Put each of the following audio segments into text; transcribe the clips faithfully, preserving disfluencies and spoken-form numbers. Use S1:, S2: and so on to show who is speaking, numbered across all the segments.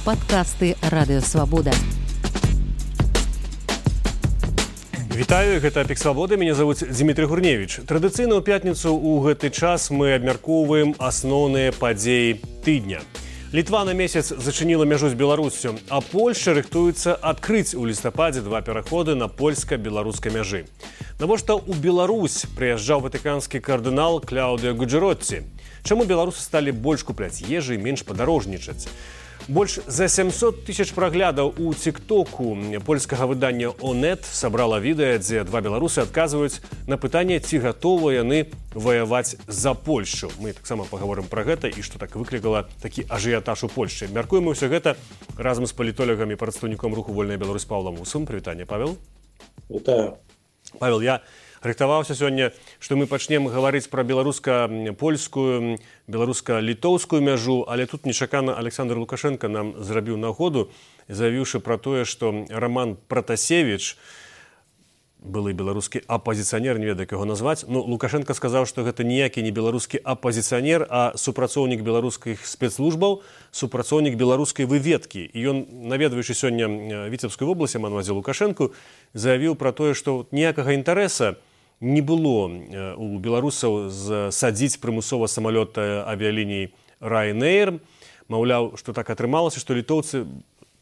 S1: Падкасты Радыё Свабода.
S2: Вітаю, гэта Пік Свабоды, мяне зовут Дмітрий Гурневич. Традыцыйна ў пятніцу ў гэты час мы абмяркоўваем асноўныя падзеі тыдня. Літва на месяц зачыніла мяжу з Беларусю, а Польшча рыхтуецца адкрыць у лістападзе два пераходы на польска-беларускай мяжы. Навошта ў Беларусь прыязджаў ватыканскі кардынал Кляудыо Гуджэротці? Чаму беларусы сталі больш купляць ежы і менш падарожнічаць? Больш за сямсот тысяч праглядаў у тик-току польскага выдання «Онет» сабрала відэа, дзе два беларусы адказваюць на пытанне, ці гатовыя яны ваяваць за Польшчу. Мы таксама паговорым пра гэта і што так выклікала такі ажыятаж у Польшчы. Мяркуем усё гэта разам з палітолагам і прадстаўніком руху «Вольная Беларусь» Павлам Усым. Прывітанне, Павел.
S3: Вітаю.
S2: Павел, я рыхтаваўся сёння, што мы пачнем гаварыць пра беларуска-польскую, беларуска-літоўскую мяжу, але тут нечакана Александр Лукашенко нам зрабіў нагоду, заявіўшы пра тое, што Роман Пратасевіч, былы беларускі апазіцыянер, не ведаю, як яго назваць, ну, Лукашенко сказаў, што гэта ніякі не беларускі апазіцыянер, а супрацоўнік беларускіх спецслужбаў, супрацоўнік беларускай выведкі. І ён, наведваючы сёння Віцебскую вобласць, я маю на ўвазе Лукашэнку, заявіў пра тое, што ніякага інтарэса не было у беларусаў садзіць прымусова самалёт авіяліній Ryanair. Маўляў, што так атрымалася, што літоўцы,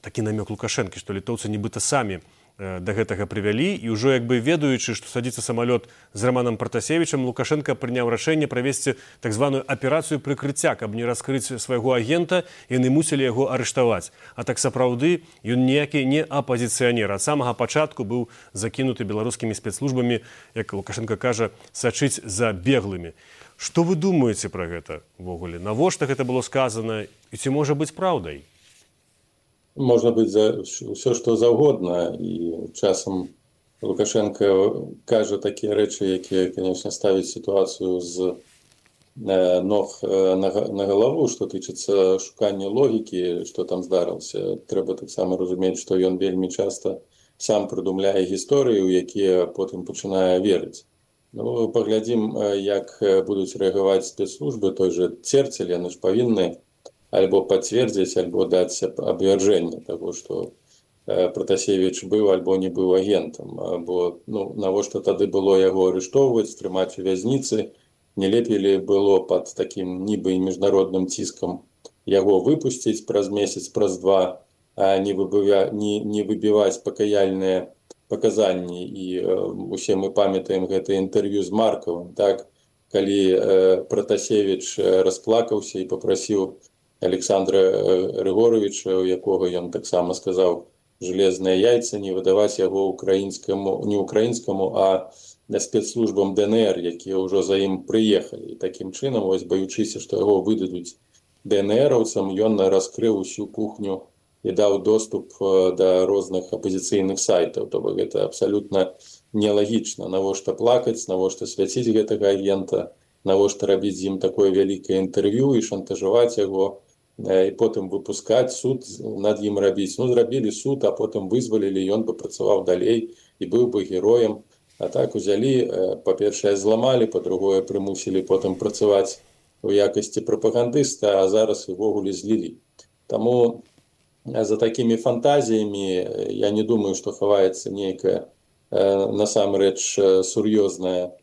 S2: такі намёк Лукашэнкі, што літоўцы нібыта самі да гэтага прывялі, і ўжо як бы ведаючы, што садзіцца самалёт з Романом Пратасевічам, Лукашенко прыняў рашэнне правесці так званую аперацыю прыкрыцця, каб не раскрыць свайго агента, яны мусілі яго арыштаваць. А так сапраўды ён ніякі не апазіцыянер. Ад самага пачатку быў закінуты беларускімі спецслужбамі, як Лукашенко кажа, сачыць за беглымі. Што вы думаеце пра гэта ўвогуле? Навошта гэта было сказана і ці можа быць праўдай?
S3: Можна быць за ўсё, што заўгодна, і часам Лукашенко кажа такія рэчы, якія, конечно, ставяць сітуацыю з ног на галаву, што тычыцца шукання логікі, што там здарылася. Трэба таксама разумець, што ён вельмі часта сам прыдумляе гісторыі, у якія потым пачынае верыць. Ну, паглядзім, як будуць рэагаваць спецслужбы, той же Церцель, яны ж павінны альбо пацвердзіць, альбо даць абвярджэнне таго, што Пратасевіч быў альбо не быў агентам. Бо ну, навошта тады было яго арыштоўваць, трымаць у вязніцы, не лепей ли было пад такім нібы міжнародным ціскам яго выпусціць праз месяц, праз два, а не, выбывя, не, не выбіваць пакаяльныя паказанні. І э, усе мы памятаем гэта інтэрв'ю з Маркавым, так? Калі э, Пратасевіч расплакаўся і папрасіў Александра Григоровича, у якога ён таксама сказаў железныя яйцы, не выдаваць яго украінскаму, не украінскаму, а спецслужбам ДНР, якія ўжо за ім прыехалі. І такім чынам, вось баючыся, што яго выдадуць ДНРаўцам, ён раскрыў усю кухню і даў доступ да розных апазіцыйных сайтаў. То бок гэта абсалютна нелагічна. Навошта плакаць, навошта свяціць гэтага агента, навошта рабіць з ім такое вялікае інтэрв'ю і шантажаваць яго, і потым выпускаць, суд над ім рабіць. Ну, зрабілі суд, а потым вызвалілі, ён бы працаваў далей і быў бы героем. А так узялі, па-першае, зламалі, па-другое, прымусілі потым працаваць у якасці прапагандыста, а зараз увогуле злілі. Таму за такімі фантазіямі я не думаю, што хаваецца нейкая насамрэч сур'ёзная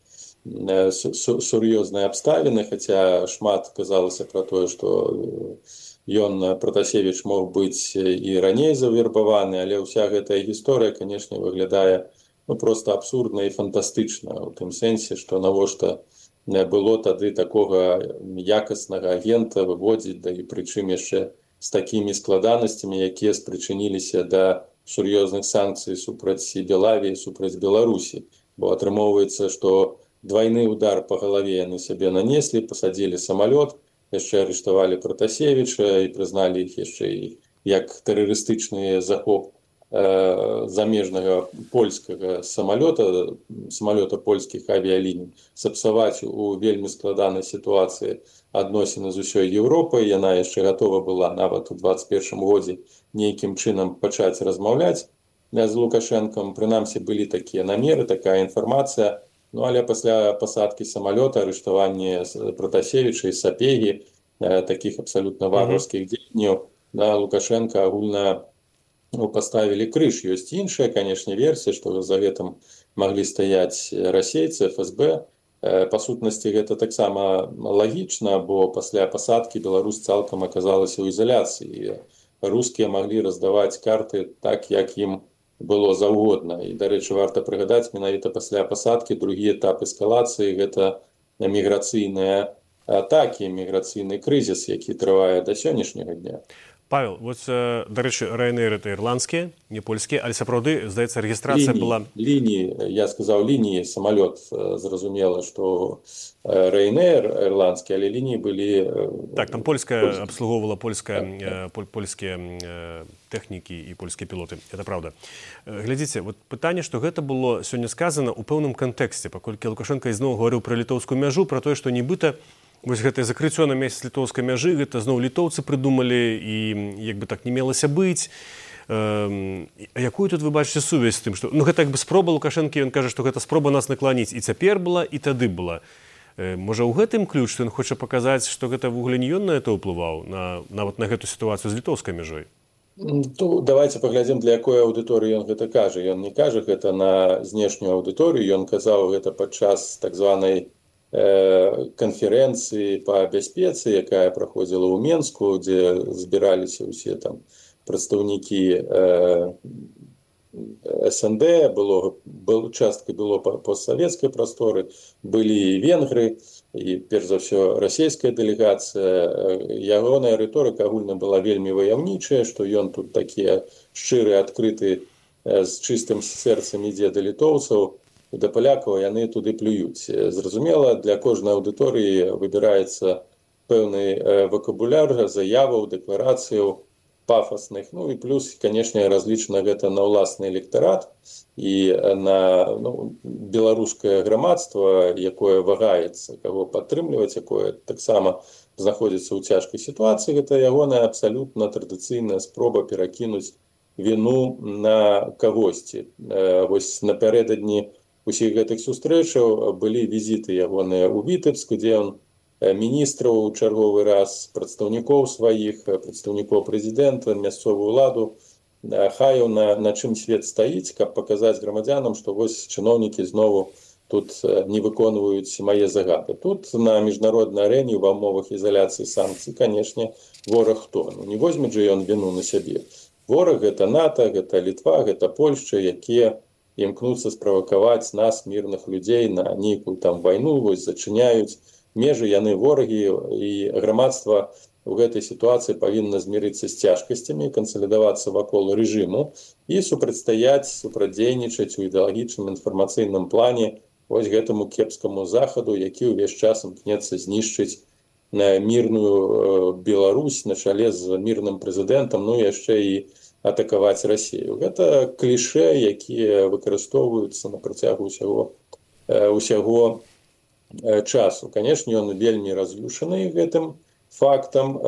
S3: сур'ёзныя абставіны, хаця шмат казалася пра тое, што ён, Пратасевіч, мог быць і раней завербаваны, але ўся гэтая гісторыя, канешне, выглядае ну, проста абсурдна і фантастычна, у тым сэнсе, што навошта было тады такога якаснага агента выводзіць, да і прычым яшчэ з такімі складанасцямі, якія спрычыніліся да сур'ёзных санкцый супраць Белавіі, супраць Беларусі. Бо атрымоўваецца, што двойны удар по галаве яны сябе нанеслі, пасадзілі самалёт, яшчэ арыштавалі Пратасевіча і прызналі іх яшчэ і як тэрарыстычны захоп э, замежнага польскага самалёта, самалёта польскіх авіяліній, сапсаваць у вельмі складанай сітуацыі адносіны з усёй Еўропай. Яна яшчэ гатова была нават у дваццаць першым годзе нейкім чынам пачаць размаўляць з Лукашэнкам. Прынамсі былі такія намеры, такая інфармацыя. Ну, але пасля пасадкі самалёта, арыштавання Пратасевіча і Сапегі, таких абсолютно варварскіх дзеянняў, на Лукашенко агульна ну, поставілі крыж. Ёсць іншая, канешне, версія, што за гэтым маглі стаяць расейцы, эф эс бэ. Па сутнасці, гэта таксама лагічна, бо пасля пасадкі Беларусь цалкам аказалася ў ізаляцыі. Рускія маглі раздаваць карты так, як ім было заўгодна. І, дарэчы, варта прыгадаць, менавіта пасля пасадкі другі этап эскалацыі – гэта міграцыйныя атакі, міграцыйны крызіс, які трывае да сённяшняга дня.
S2: Павел, вот, дарэчы, Ryanair это ірландскія, не польскія, але сапраўды, здаецца, рэгістрацыя была...
S3: Лініі, я сказаў, лініі, самалёт, зразумела, што Ryanair ірландскі, але лініі былі...
S2: Так, там польская абслугоўвала польская, так, польскія тэхнікі і польскія пілоты, это правда. Глядзіце, вот пытанне, што гэта было сёння сказана ў пэўным кантэксце, паколькі Лукашенко ізноў гаварыў пра літоўскую мяжу, пра тое, што нібыта вось гэтае закрыццё на месяц літоўскай мяжы, гэта зноў літоўцы прыдумалі і як бы так не мелася быць. Э, якую тут вы бачыце сувязь з тым, што ну гэта як бы спроба Лукашэнкі, ён кажа, што гэта спроба нас накланіць і цяпер была, і тады была. Э, можа, ў гэтым ключ, што ён хоча паказаць, што гэта вугле не ён на это ўплываў, на, нават на гэту сітуацыю з літоўскай мяжой?
S3: Ну, давайте паглядзім, для якой аўдыторыі ён гэта кажа. Ён не кажа гэта на знешнюю аўдыторыю, ён казаў гэта падчас так званай канферэнцыі па бяспецы, якая праходзіла ў Менску, дзе збіраліся ўсе там прадстаўнікі эс эн дэ, было, был, часткай было постсавецкай прасторы, былі і венгры, і перш за ўсё расійская дэлегацыя. Ягоная рыторыка агульна была вельмі ваяўнічая, што ён тут такі шчыры, адкрыты, з чыстым сэрцам ідзе да літоўцаў, да палякаў, яны туды плююць. Зразумела, для кожнай аўдыторыі выбіраецца пэўны вакабуляр, заяваў, дэкларацыяў пафасных. Ну і плюс, канешне, разлічана гэта на ўласны электарат і на ну, беларускае грамадства, якое вагаецца, каго падтрымліваць, якое таксама знаходзіцца ў цяжкай сітуацыі. Гэта ягоная абсалютна традыцыйная спроба перакінуць віну на кагосьці. Вось напярэдадні усіх гэтых сустрэчаў былі візіты ягоныя ў Вітэбск, дзе ён міністраў чарговы раз, прадстаўнікоў сваіх, прадстаўнікоў прэзідэнта, мясцовую ўладу хаяў, на, на чым свет стаіць, каб паказаць грамадзянам, што вось чыноўнікі знову тут не выконваюць мае загады. Тут на міжнароднай арэне ва ўмовах ізаляцыі санкцый, канешне, вораг хто? Ну, не возьме жа ён віну на сябе. Вораг гэта НАТО, гэта Літва, гэта Польшча, якія імкнуцца справакаваць нас, мірных людзей, на нейкую там вайну, вось зачыняюць межы, яны ворагі, і грамадства у гэтай сітуацыі павінна змірыцца з цяжкасцямі, кансалідавацца вакол рэжыму і супрацьстаяць, супрацьдзейнічаць у ідэалагічным інфармацыйным плане вось гэтаму кепскаму захаду, які ўвесь час імкнецца знішчыць мірную Беларусь на чале з мірным прэзідэнтам, ну яшчэ і атакаваць Расію. Гэта кліше, якія выкарыстоўваюцца на працягу ўсяго, ўсяго часу. Канешне, ён вельмі раз'юшаны гэтым фактам,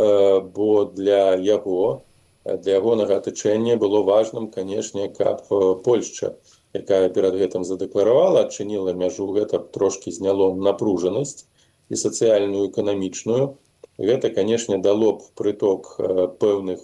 S3: бо для яго, для ягонага атачэння было важным, канешне, каб Польшча, якая перад гэтым задэкларавала, адчыніла мяжу, гэта трошкі зняло напружанасць і сацыяльную, эканамічную. Гэта, канешне, дало б прыток пэўных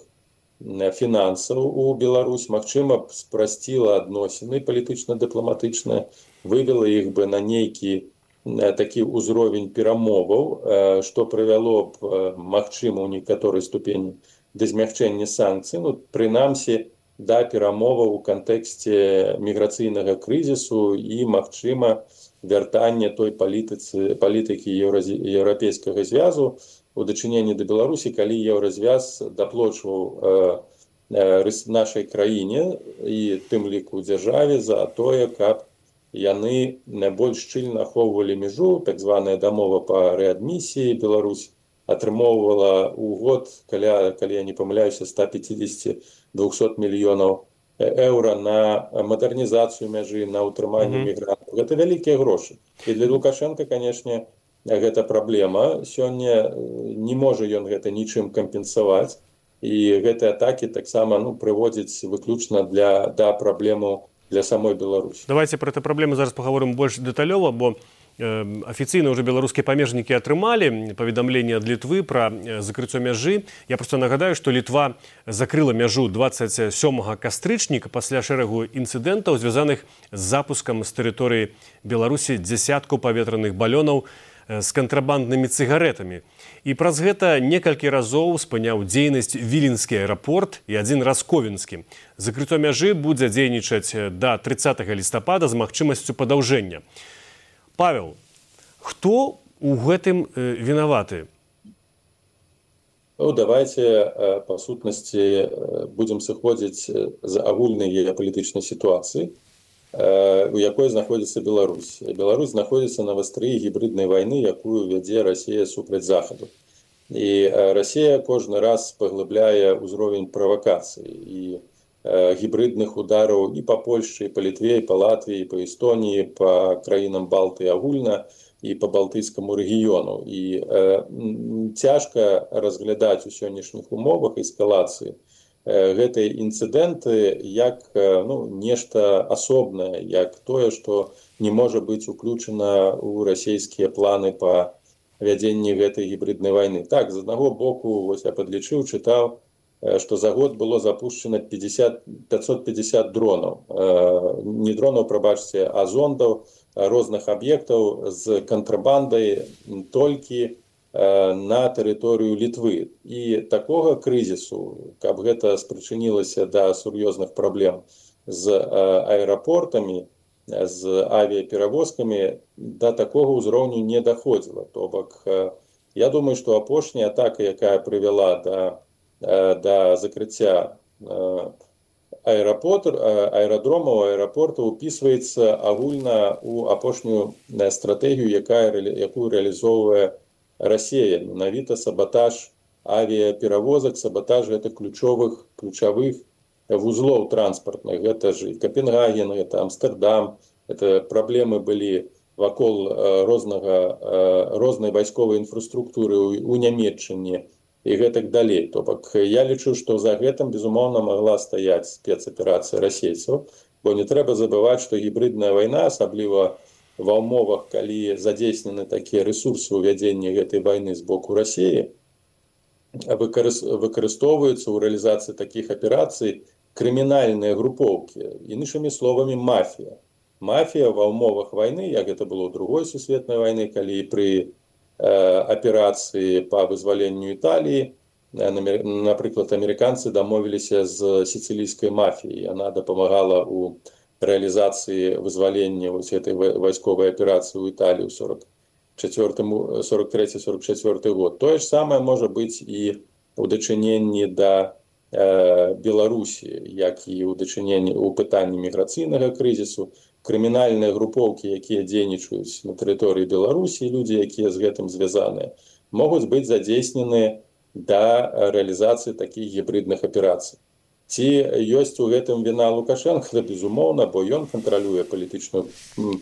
S3: фінансаў у Беларусь, магчыма, спрасціла адносіны палітычна-дыпламатычныя, вывела іх бы на нейкі такі ўзровень перамоваў, што прывяло б, магчыма, у некаторай ступені да змягчэння санкцый, ну, прынамсі, да перамоваў у кантэксце міграцыйнага крызісу і, магчыма, вяртання той палітыцы, палітыкі еўрапейскага звязу у дачыненні да Беларусі, калі еўразвяз даплочваў э, э, нашай краіне і тым ліку дзяржаве за тое, каб яны найбольш шчыльна ахоўвалі мяжу, так званая дамова па рэадмісіі. Беларусь атрымоўвала ў год, каля, калі я не памыляюся, сто пятьдесят до двухсот мільёнаў еўра на мадэрнізацыю мяжы, на ўтрыманне mm-hmm. мігрантаў. Гэта вялікія грошы. І для Лукашенка, канешне, гэта праблема. Сёння не можа ён гэта нічым кампенсаваць. І гэтыя атакі таксама ну, прыводзяць выключна для, да праблему для самой Беларусі.
S2: Давайте про эту праблему зараз паговорым больш дэталёва, бо афіцыйна ўжо беларускія памежнікі атрымалі паведамленне ад Літвы пра закрыццё мяжы. Я проста нагадаю, што Літва закрыла мяжу дваццаць сёмага кастрычніка пасля шэрагу інцыдэнтаў, звязаных з запускам з тэрыторыі Беларусі дзясяткаў паветраных балёнаў з кантрабанднымі цыгарэтамі. І праз гэта некалькі разоў спыняў дзейнасць Віленскі аэрапорт і адзін раз Ковенскі. Закрыццё мяжы будзе дзейнічаць да трыццатага лістапада з магчымасцю падаўжэння. Павел, хто у гэтым вінаваты?
S3: Ну, давайте, по сутнасці, будзем сыходзіць з агульнай геапалітычнай сітуацыі, у якой знаходзіцца Беларусь. Беларусь знаходзіцца на вастрыі гібриднай вайны, якую вядзе Расія супраць Захаду. І Расія кожны раз паглыбляе ўзровень правакацый і гібридных удараў і па Польшчы, і па Літве, і па Латвіі, і па Эстоніі, па краінам Балтыі агульна, і па балтыйскаму рэгіёну. І э, цяжка разглядаць у сённяшніх умовах эскалацыі гэтыя інцыдэнты як ну, нешта асобнае, як тое, што не можа быць уключана ў расійскія планы па вядзенні гэтай гібриднай вайны. Так, з аднаго боку, вось я падлічыў, чытаў, што за год было запушчана пятьсот пятьдесят дронаў. Не дронаў, прабачце, а зондаў розных аб'ектаў з кантрабандай толькі на тэрыторыю Літвы. І такога крызісу, каб гэта спрычынілася да сур'ёзных праблем з аэрапортамі, з авіяперавозкамі, да такога ўзроўню не даходзіла. То бок, я думаю, што апошняя атака, якая прывяла да, да закрыцця аэрапорт, аэрадромаў, аэрапорта упісваецца агульна ў апошнюю стратэгію, якая, якую рэалізоўвае Расія. Менавіта сабатаж авіяперавозак, сабатаж гэтых ключовых, ключавых вузлоў транспартных. Гэта ж і Капенгаген, гэта Амстердам, гэта праблемы былі вакол рознага, рознай вайсковай інфраструктуры ў Нямецчыне і гэтак далей. То бок, я лічу, што за гэтым, безумоўна, магла стаяць спецаперацыя расейцаў, бо не трэба забываць, што гібридная вайна, асабліва ва ўмовах, калі задзейснены такія рэсурсы ў вядзенні гэтай вайны з боку Расіі, выкарыстоўваюцца ў рэалізацыі такіх аперацый крымінальныя групоўкі, іншымі словамі мафія. Мафія ва ўмовах вайны, як гэта было ў другой сусветнай вайны, калі пры э, аперацыі па вызваленню Італіі, напрыклад, амерыканцы дамовіліся з сіцылійскай мафіяй, яна дапамагала ў рэалізацыі вызвалення вось этой вайсковай аперацыі ў Італіі ў сорок трэці сорок чацвёрты год. Тое ж самае можа быць і ў дачыненні да э, Беларусі, як і ў дачыненні ў пытанні міграцыйнага крызісу. Крымінальныя групоўкі, якія дзейнічаюць на тэрыторыі Беларусі, людзі, якія з гэтым звязаныя, могуць быць задзейснены да рэалізацыі такіх гібридных аперацый. Ці ёсць у гэтым віна Лукашенка? Безумоўна, бо ён кантралюе палітычную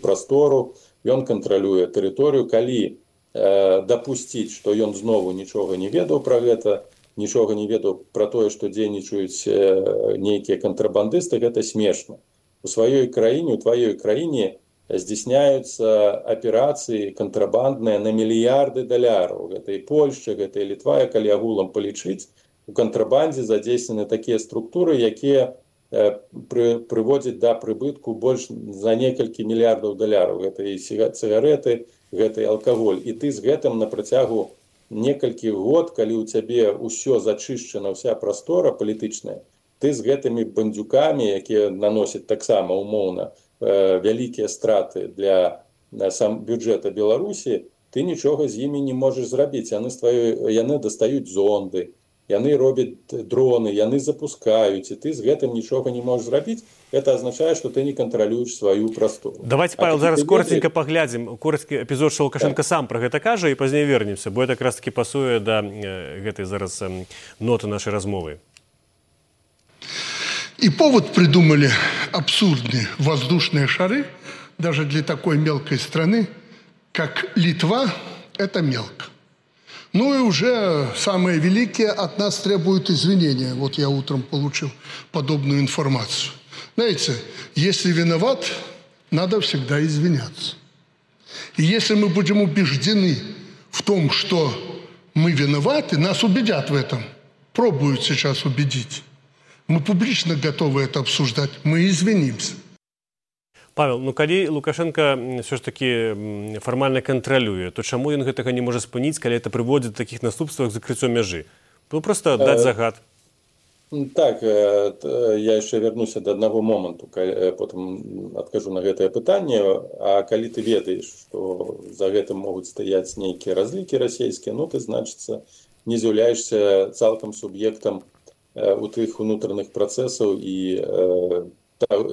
S3: прастору, ён кантралюе тэрыторыю. Калі э, дапусціць, што ён знову нічога не ведаў пра гэта, нічога не ведаў пра тое, што дзейнічаюць э, нейкія кантрабандысты, гэта смешна. У сваёй краіне, у тваёй краіне здзяйсняюцца аперацыі кантрабандныя на мільярды даляраў. Гэта і Польшча, гэта і Літва, калі агулам палічыць, у кантрабандзе задзейснены такія структуры, якія э, пры, прыводзяць да прыбытку больш за некалькі мільярдаў даляраў. Гэта і цыгарэты, гэта і алкаголь. І ты з гэтым на працягу некалькі год, калі ў цябе ўсё зачышчана, вся прастора палітычная, ты з гэтымі бандзюкамі, якія наносяць таксама умоўна э, вялікія страты для э, сам бюджэта Беларусі, ты нічога з імі не можаш зрабіць. Яны, твоё, яны дастаюць зонды, яны робяць дроны, яны запускаюць, і ты з гэтым нічога не можаш зрабіць. Это азначае, што ты не кантралюеш сваю прастору.
S2: Давайте, Павел, зараз коротенько паглядзім короткі эпізод, што Лукашенко сам пра гэта кажа, і пазней вернемся, бо это якраз таки пасуе да гэтай зараз ноты нашай размовы.
S4: И повод придумали абсурдные воздушные шары, даже для такой мелкой страны, как Литва, это мелко. Ну и уже самые великие от нас требуют извинения. Вот я утром получил подобную информацию. Знаете, если виноват, надо всегда извиняться. И если мы будем убеждены в том, что мы виноваты, нас убедят в этом. Пробуют сейчас убедить. Мы публично готовы это обсуждать. Мы извинимся.
S2: Павел, ну калі Лукашенко все ж таки фармальна кантралюе, то чаму ён гэтага не можа спыніць, калі это прыводзіць да такіх наступстваў к закрыццё мяжы? Ну просто даць загад.
S3: Так, я яшчэ вярнуся да аднаго моманту, потым адкажу на гэтае пытанне. А калі ты ведаеш, што за гэтым могуць стаяць нейкія разлікі расійскія, ну ты, значыцца, не з'яўляешся цалкам суб'ектам у тых унутраных працэсаў і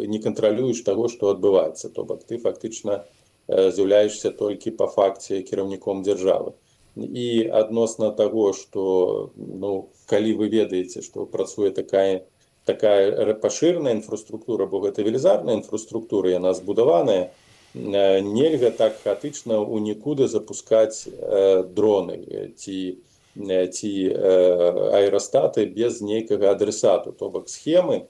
S3: не кантралюеш таго, што адбываецца. То бок ты фактычна з'яўляешся толькі па факце кіраўніком дзяржавы. І адносна таго, што ну, калі вы ведаеце, што працуе такая, такая пашыраная інфраструктура, бо гэта велізарная інфраструктура, яна збудаваная, нельга так хаатычна ў нікуды запускаць э, дроны ці, ці э, аэрастаты без нейкага адресату. То бок схемы,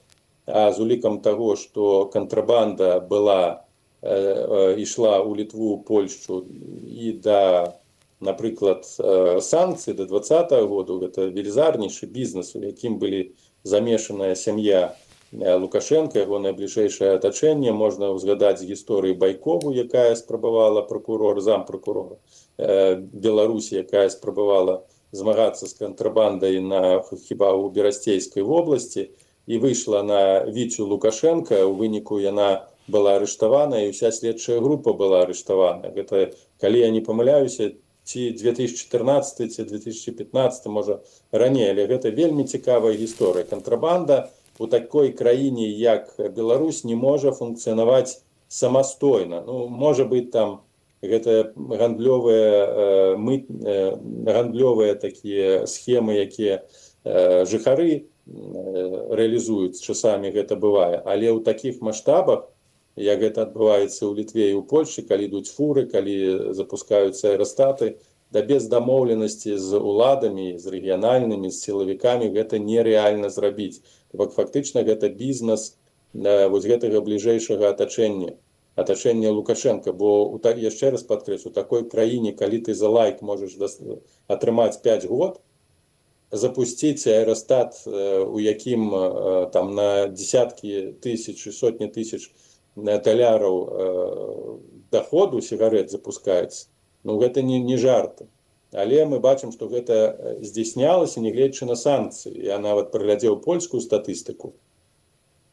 S3: а з улікам таго, што кантрабанда была, э, э, ішла ў Літву, Польшчу і да, напрыклад, э, санкцыі да двадцатага году, гэта велізарнейшы бізнес, у якім былі замешаная сям'я Лукашенка, яго найбліжэйшае атачэнне. Можна ўзгадаць з гісторыі Байкову, якая спрабавала прокурор, зампракурора э, Беларусі, якая спрабавала змагацца з кантрабандай на хіба ў Берасцейскай вобласці, і выйшла на Віцю Лукашенка. У выніку яна была арыштавана, і ўся следчая група была арыштавана. Гэта, калі я не памыляюся, ці две тысячи чатырнаццаты, ці две тысячи пятнаццаты, можа, раней, але гэта вельмі цікавая гісторыя. Кантрабанда у такой краіне, як Беларусь, не можа функцыянаваць самастойна. Ну, можа быць, там гэта гандлёвыя, э, мы, э, гандлёвыя такія схемы, якія э, жыхары реалізуюць, часамі гэта бывае, але ў такіх маштабах, як гэта адбываецца ў Літве і ў Польшчы, калі ідуць фуры, калі запускаюцца аэрастаты, да без дамоўленасці з уладамі, з рэгіянальнымі, з сілавікамі гэта нерэальна зрабіць. Бо фактычна гэта бізнес вось гэтага бліжэйшага атачэння, атачэння Лукашенка. Бо яшчэ раз падкрэслю, у такой краіне, калі ты за лайк можаш атрымаць пяць год, запусціць аэрастат, у якім там на десяткі тысяч і сотні тысяч таляраў доходу сігарет запускаецца. Ну, гэта не, не жарты. Але мы бачым, што гэта здзяйснялася, нягледзячы на санкцыі. Я нават праглядзеў польскую статыстыку,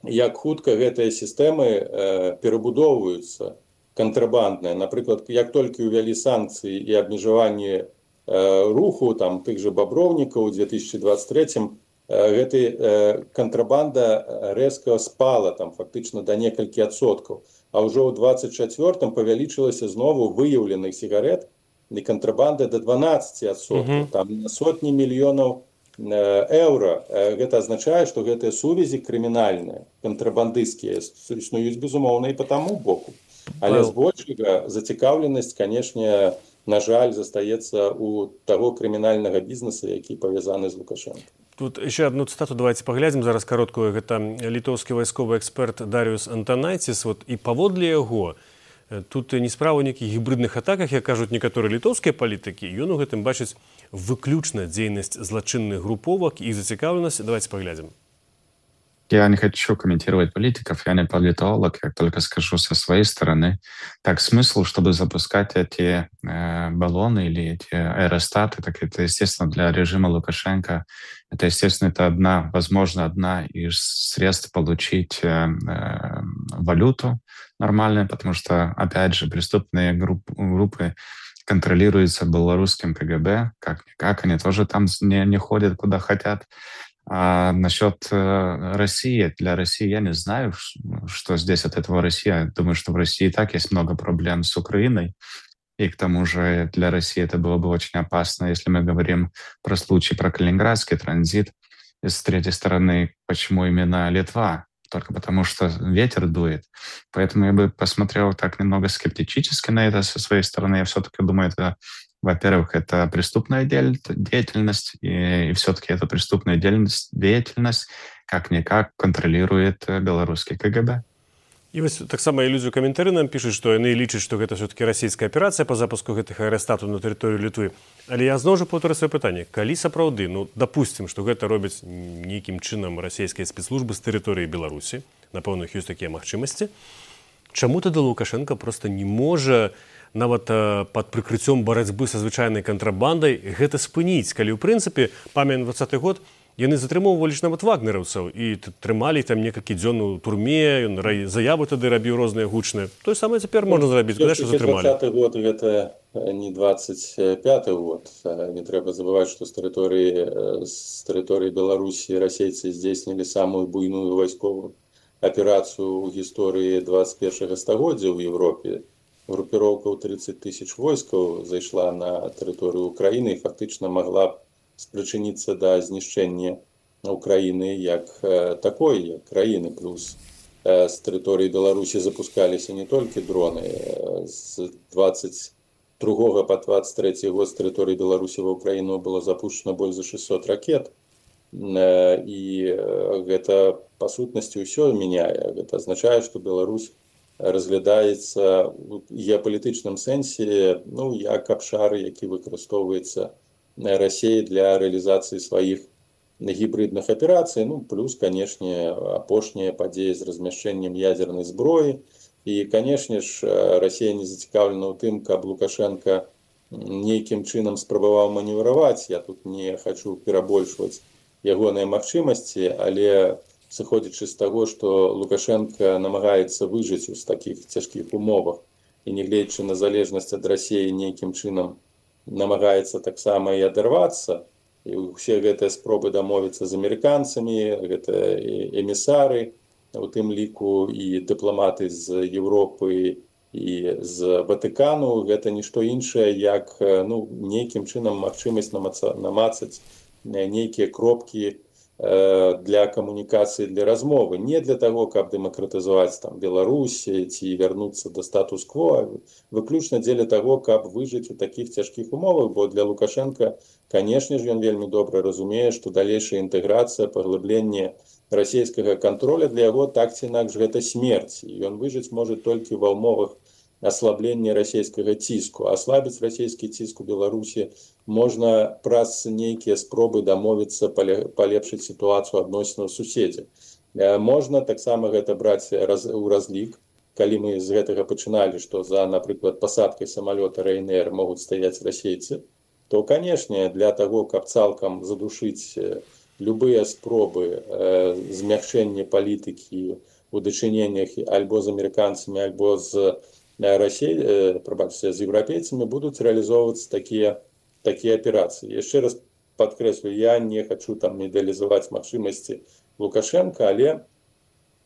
S3: як хутка гэтыя сістэмы э, перабудоўваюцца кантрабандныя. Напрыклад, як толькі ўвялі санкцыі і абмежаванне руху, там, тых же баброўнікаў у две тысячи двадцать третьем, гэты кантрабанда рэзка спала, там, фактычна да некалькі адсоткаў. А ўжо ў двадцать четвёртым павялічылася знову выяўленых сігарет і кантрабанда да дванаццаці адсоткаў. Mm-hmm. Там сотні мільёнаў еўра. Гэта азначае, што гэтыя сувязі крымінальныя, кантрабандысцкія існуюць, безумоўна, і па таму боку. Але збольшага зацікаўленасць, канешне, на жаль, застаецца у таго крымінальнага бізнеса, які павязаны з Лукашенко.
S2: Тут еще одну цитату давайте поглядим, зараз короткую. Это литовский войсковый эксперт Дариус Антонайтис. Вот, и паводле яго, тут не справа нейкіх гібридных атаках, як кажуць некаторыя літоўскія палітыкі, ён у гэтым бачыць выключна дзейнасць злачынных групповок и зацікаўленасць. Давайте поглядим.
S5: Я не хочу комментировать политиков, я не политолог, я только скажу со своей стороны. Так, смысл, чтобы запускать эти э, баллоны или эти аэростаты, так это, естественно, для режима Лукашенко, это, естественно, это одна, возможно, одна из средств получить э, э, валюту нормальную, потому что, опять же, преступные групп, группы контролируются белорусским КГБ, как-никак, они тоже там не, не ходят, куда хотят. А насчет э, России, для России я не знаю, что здесь от этого Россия. Думаю, что в России и так есть много проблем с Украиной. И к тому же для России это было бы очень опасно, если мы говорим про случай, про Калининградский транзит. И с третьей стороны, почему именно Литва? Только потому, что ветер дует. Поэтому я бы посмотрел так немного скептически на это со своей стороны. Я все-таки думаю, это... Во-первых, это преступная деятельность, и, и все-таки эту преступную деятельность, деятельность как-никак контролирует белорусский КГБ.
S2: І вось таксама ілюзію каментары нам пішуць, што яны лічаць, што гэта все-таки расійская аперацыя па запуску гэтых аэрастатаў на тэрыторыю Літвы. Але я зноў жа паўтарю сваё пытанне. Калі сапраўды, ну, дапусцім, што гэта робяць нейкім чынам расійскія спецслужбы з тэрыторыі Беларусі, напэўна, ёсць такія магчымасці, чаму тады Лукашенко проста не можа нават пад прыкрыццём барацьбы са звычайнай кантрабандай гэта спыніць, калі ў прынцыпе, памятаем дваццаты год, яны затрымоўвалі ж нават вагнераўцаў і трымалі там некалькі дзён у турме, ён заявы тады рабіў розныя гучныя. Тое самае цяпер можна зрабіць, куды што затрымалі.
S3: дваццаты год гэта не дваццаць пяты год. Не трэба забываць, што з тэрыторыі з тэрыторыі Беларусі расейцы здзейснілі самую буйную вайсковую аперацыю ў гісторыі дваццаць першага стагоддзя ў Еўропе. Групіроўка ў трыццаць тысяч войскаў зайшла на тэрыторыю Украіны і фактычна магла спрычыніцца да знішчэння Украіны як такой, як краіны. Плюс з тэрыторыі Беларусі запускаліся не толькі дроны. З дваццаць другога па дваццаць трэці год з тэрыторыі Беларусі ва Украіну было запущено больш за шэсцьсот ракет. І гэта, па сутнасці, ўсё мяняе. Гэта азначае, што Беларусь разглядаецца ў геапалітычным сэнсе, ну, як абшар, які выкарыстоўваецца России для реализации своих гибридных операций, ну, плюс, конечно, апошняя падзея з размяшчэннем ядерной зброі. И, конечно ж, Россия не зацікаўлена ў тым, каб Лукашенко нейкім чынам спрабаваў маневраваць. Я тут не хочу перабольшваць ягоныя магчымасці, але сыходзячы з таго, што Лукашенко намагаецца выжыць у такіх цяжкіх умовах і, нягледзячы на залежнасць ад России, нейкім чынам намагаецца таксама і адарвацца. І ўсе гэтыя спробы дамовіцца з амерыканцамі, гэта эмісары, у тым ліку і дыпламаты з Еўропы і з Ватыкану, гэта нішто іншае, як, ну, нейкім чынам магчымасць намацаць нейкія кропкі для камунікацыі, для размовы. Не для таго, каб дэмакратызаваць там Беларусь ці вярнуцца да статус-кво, выключна дзеля таго, каб выжыць у такіх цяжкіх умовах, бо для Лукашенка, канешне ж, ён вельмі добра разумее, што далейшая інтэграцыя, паглыбленне расійскага контроля для яго так ці інакш гэта смерць. І ён выжыць можа толькі ва ўмовах аслаблення расійскага ціску. Аслабіць расійскі ціск у Беларусі можна праз нейкія спробы дамовіцца палепшыць сітуацыю адносінаў суседзяў. Можна таксама гэта браць у разлік, калі мы з гэтага пачыналі, што за, напрыклад, пасадкай самалёта Ryanair могуць стаяць расейцы, то, канешне, для таго, каб цалкам задушыць любыя спробы змягчэння палітыкі у дачыненнях альбо з амерыканцамі, альбо з Россия, пробачьте, с европейцами будут реализовываться такие, такие операции. Еще раз подкреслю, я не хочу там медализовать магчымасці Лукашенко, але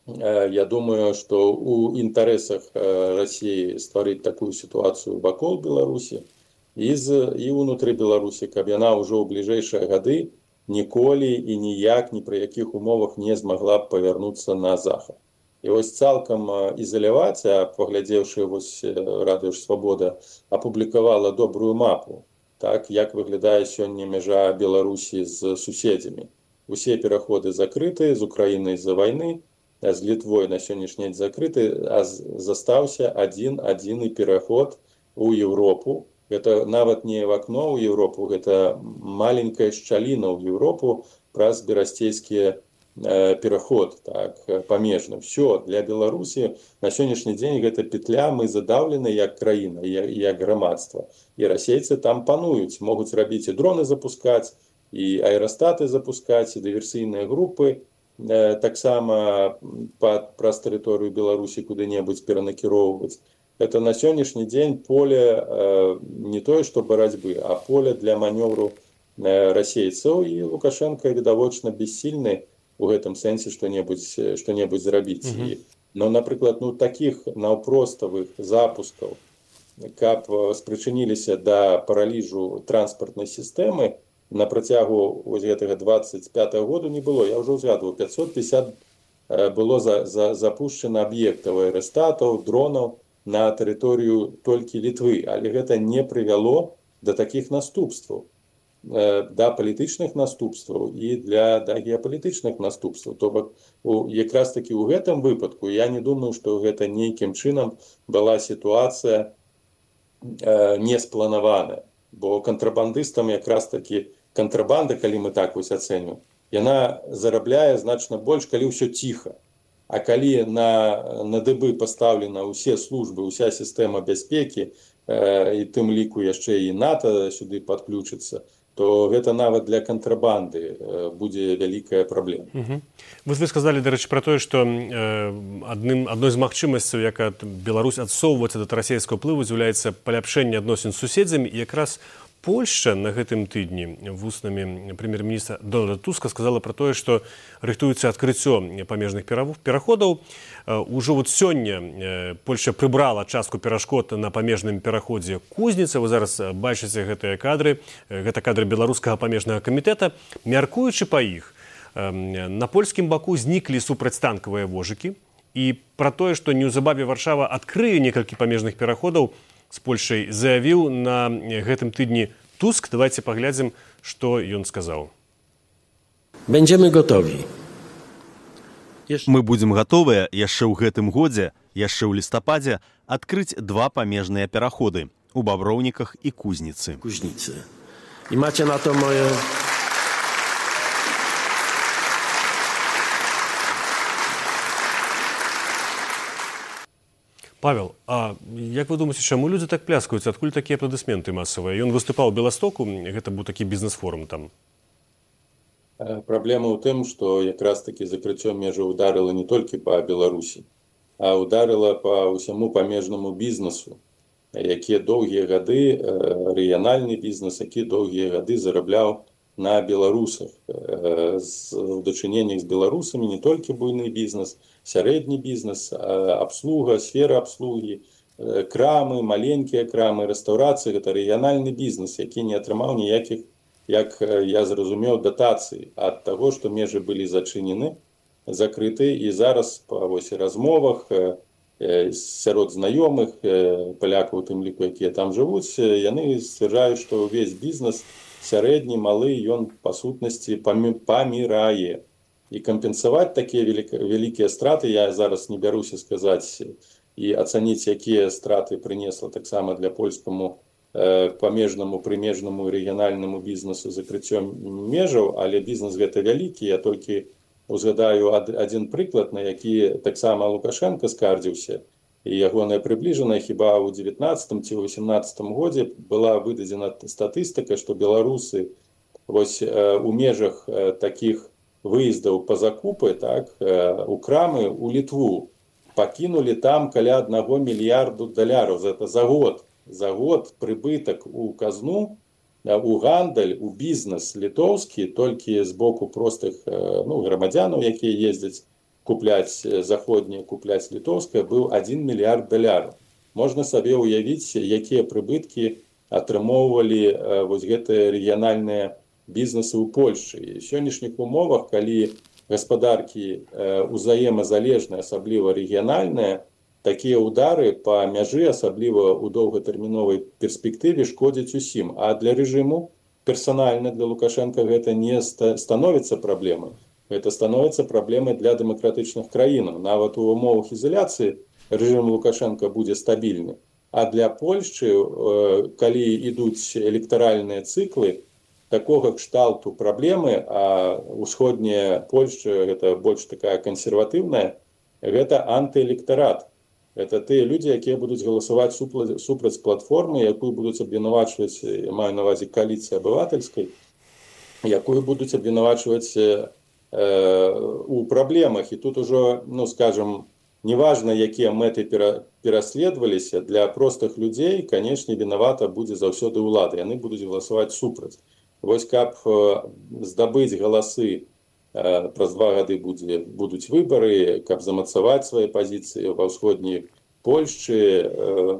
S3: э, я думаю, что у интересах э, России створить такую ситуацию вакол Беларуси и, и внутри Беларуси, каб яна уже в ближайшие годы ніколі и ніяк, ни при яких умовах не змогла повернуться на захад. І ось цалкам ізаляваць, а паглядзеўшы вось Радыё Свабода апублікавала добрую мапу, так, як выглядае сёння мяжа Беларусі з суседзямі. Усе пераходы закрыты, з Украінай з-за вайны, а з Літвой на сённяшні дзень закрыты, а застаўся адзін адзіны пераход у Еўропу. Гэта нават не в акно ў Еўропу, гэта маленькая шчаліна ў Еўропу праз берасцейскія пераход, так, памежны. Все, для Беларусі на сённяшні дзень гэта петля, мы задаўлены як краіна, як, як грамадства. І расейцы там пануюць, могуць рабіць і дроны запускаць, і аэрастаты запускаць, і дыверсійныя групы э, таксама праз тэрыторыю Беларусі куды-небудзь перанакіроўваць. Это на сённяшні дзень поле э, не тое, што барацьбы, а поле для манёвру э, расейцаў, і Лукашенко відавочна бессільны у гэтым сэнсе што-небудзь што-небудзь зрабіць. Mm-hmm. Но, напрыклад, ну, такіх наўпроставых запускаў, каб спрычыніліся да параліжу транспартнай сістэмы на працягу вось гэтага дваццаць пятага году не было. Я ўжо ўзгадваў, пятьсот пятьдесят было за, за, запушчана аб'ектаў аэрастатаў, дронаў на тэрыторыю толькі Літвы, але гэта не прывяло да такіх наступстваў. да палітычных наступстваў і для да геапалітычных наступстваў. То бок якраз такі ў гэтым выпадку я не думаю, што гэта нейкім чынам была сітуацыя не спланаваная, бо кантрабандыстам якраз такі кантрабанда, калі мы так вось ацэньваем, яна зарабляе значна больш, калі ўсё ціха. А калі на, на дыбы пастаўлена ўсе службы, уся сістэма бяспекі, і тым ліку яшчэ і НАТО сюды падключыцца, то гэта нават для кантрабанды будзе вялікая праблема.
S2: Угу. Вы, вы сказалі, дарэчы, пра тое, што э, адным, адной з магчымасцяў, як Беларусь адсоўваецца да расійскага ўплыву, з'яўляецца паляпшэнне адносін з суседзямі, і якраз Польшча на гэтым тыдні вуснамі прэм'ер-міністра Дональда Туска сказала пра тое, што рыхтуецца адкрыццё памежных пераходаў. Ужо вот сёння Польшча прыбрала частку перашкод на памежным пераходзе Кузніца. Вы зараз бачыце гэтыя кадры. Гэта кадры беларускага памежнага камітэта. Мяркуючы па іх, на польскім баку зніклі супрацьтанкавыя вожыкі. І пра тое, што неўзабаве Варшава адкрые некалькі памежных пераходаў, з Польшай заявіў на гэтым тыдні Туск. Давайте паглядзім, што ён сказаў.
S6: Będziemy gotowi.
S7: Мы будзем гатовыя яшчэ ў гэтым годзе, яшчэ ў лістападзе, адкрыць два памежныя пераходы у Баброўніках і Кузніцы.
S6: Кузніцы. І маcie na to moje...
S2: Павел, а як вы думаеце, чаму людзі так пляскаюць? Адкуль такія апладысменты масавыя? Ён выступаў у Беластоку, гэта быў такі бізнес-форум там.
S3: Праблема ў тым, што якраз такі закрыццё межаў ударыла не толькі па Беларусі, а ударыла па ўсяму памежнаму бізнесу, які доўгія гады, рэгіянальны бізнес, які доўгія гады зарабляў на беларусах. У дачыненнях з беларусамі не толькі буйны бізнес, сярэдні бізнес, абслуга, сфера абслугі, крамы, маленькія крамы, рэстаўрацыі, гэта рэгіянальны бізнес, які не атрымаў ніякіх, як я зразумеў, датацый ад таго, што межы былі зачынены, закрыты, і зараз па вось размовах сярод знаёмых палякаў, у тым ліку, якія там жывуць, яны сцвярджаюць, што ўвесь бізнес сярэдні, малы, ён па сутнасці памірае. І кампенсаваць такія вялікія страты, я зараз не бяруся сказаць і ацаніць, якія страты прынесла таксама для польскаму памежнаму, прымежнаму рэгіянальнаму бізнесу закрыццё межаў, але бізнес гэта вялікі. Я толькі узгадаю адзін прыклад, на які таксама Лукашенко скардзіўся, і ягоная прыбліжаная, хіба ў дзевятнаццатым ці ў васемнаццатым годзе была выдадзена статыстыка, што беларусы вось у межах такіх выездаў па закупы, так, у крамы, у Літву, пакінулі там каля аднаго мільярду даляраў. Гэта за год. За год прыбытак у казну, у гандаль, у бізнес літоўскі, толькі з боку простых ну, грамадзянаў, якія ездзяць купляць заходнія, купляць літоўскае, быў адзін мільярд даляраў. Можна сабе ўявіць, якія прыбыткі атрымоўвалі вось гэтыя рэгіянальныя бізнесы ў Польшчы. І ў сённяшніх умовах, калі гаспадаркі узаемазалежныя, асабліва рэгіянальныя, такія ўдары па мяжы, асабліва ў доўгатэрміновай перспектыве, шкодзяць усім. А для рэжыму персанальна, для Лукашенка гэта не становіцца праблемай. Гэта становіцца праблемай для дэмакратычных краінаў. Нават у умовах ізаляцыі рэжым Лукашенка будзе стабільны. А для Польшчы, калі ідуць электаральныя цыклы, такога кшталту праблемы, а ўсходняя Польшча, гэта больш такая кансерватыўная, гэта антыэлектарат. Гэта тыя людзі, якія будуць галасаваць супраць платформы, якую будуць абвінавачваць, я маю на ўвазе кааліцыі абывательскай, якую будуць абвінавачваць у праблемах. І тут ужо, ну, скажем, неважна, якія мэты пераследаваліся, для простых людзей, канешне, вінавата будзе заўсёды ўлада. Яны будуць галасаваць супраць. Вось каб здабыць галасы, праз два гады будзе, будуць выбары, каб замацаваць свае пазіцыі ва ўсходняй Польшчы,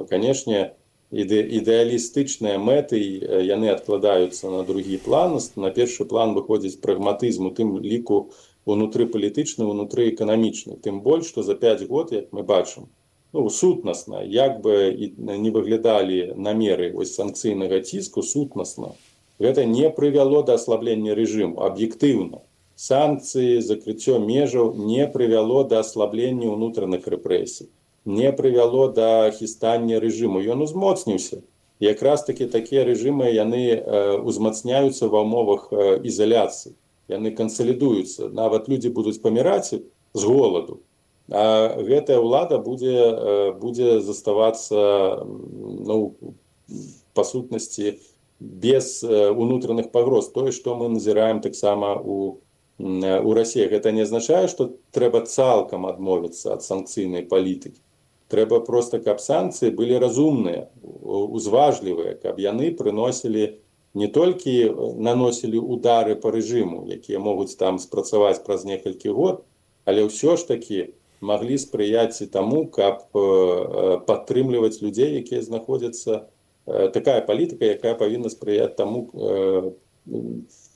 S3: канешне, іде, ідэалістычныя мэты, яны адкладаюцца на другі план. На першы план выходзіць прагматызм, у тым ліку унутрыпалітычны, унутрыэканамічны. Тым больш, што за пяць год, як мы бачым, ну, сутнасна, як бы не выглядалі намеры ось санкцыйнага ціску, сутнасна Гэта не прывяло да аслаблення рэжыму аб'ектыўна. Санкцыі, закрыццё межаў не прывяло да аслаблення ўнутраных рэпрэсій, не прывяло да хістання рэжыму. Ён узмоцніўся. Якраз такі такія рэжымы яны э, узмацняюцца ва ўмовах э, ізаляцыі. Яны кансалідуюцца. Нават людзі будуць паміраць з голаду. А гэтая ўлада будзе, э, будзе заставацца, ну, па сутнасці, без э, унутраных пагроз. Тое, што мы назіраем таксама у у России. Гэта не азначае, што трэба цалкам адмовіцца ад санкцыйнай палітыкі. Трэба проста, каб санкцыі былі разумныя, узважлівыя, каб яны прыносілі не толькі наносілі удары па рэжыму, якія могуць там спрацаваць праз некалькі год, але ўсё ж такі маглі спрыяць і таму, каб падтрымліваць людзей, якія знаходзяцца, такая палітыка, якая павінна спрыяць таму,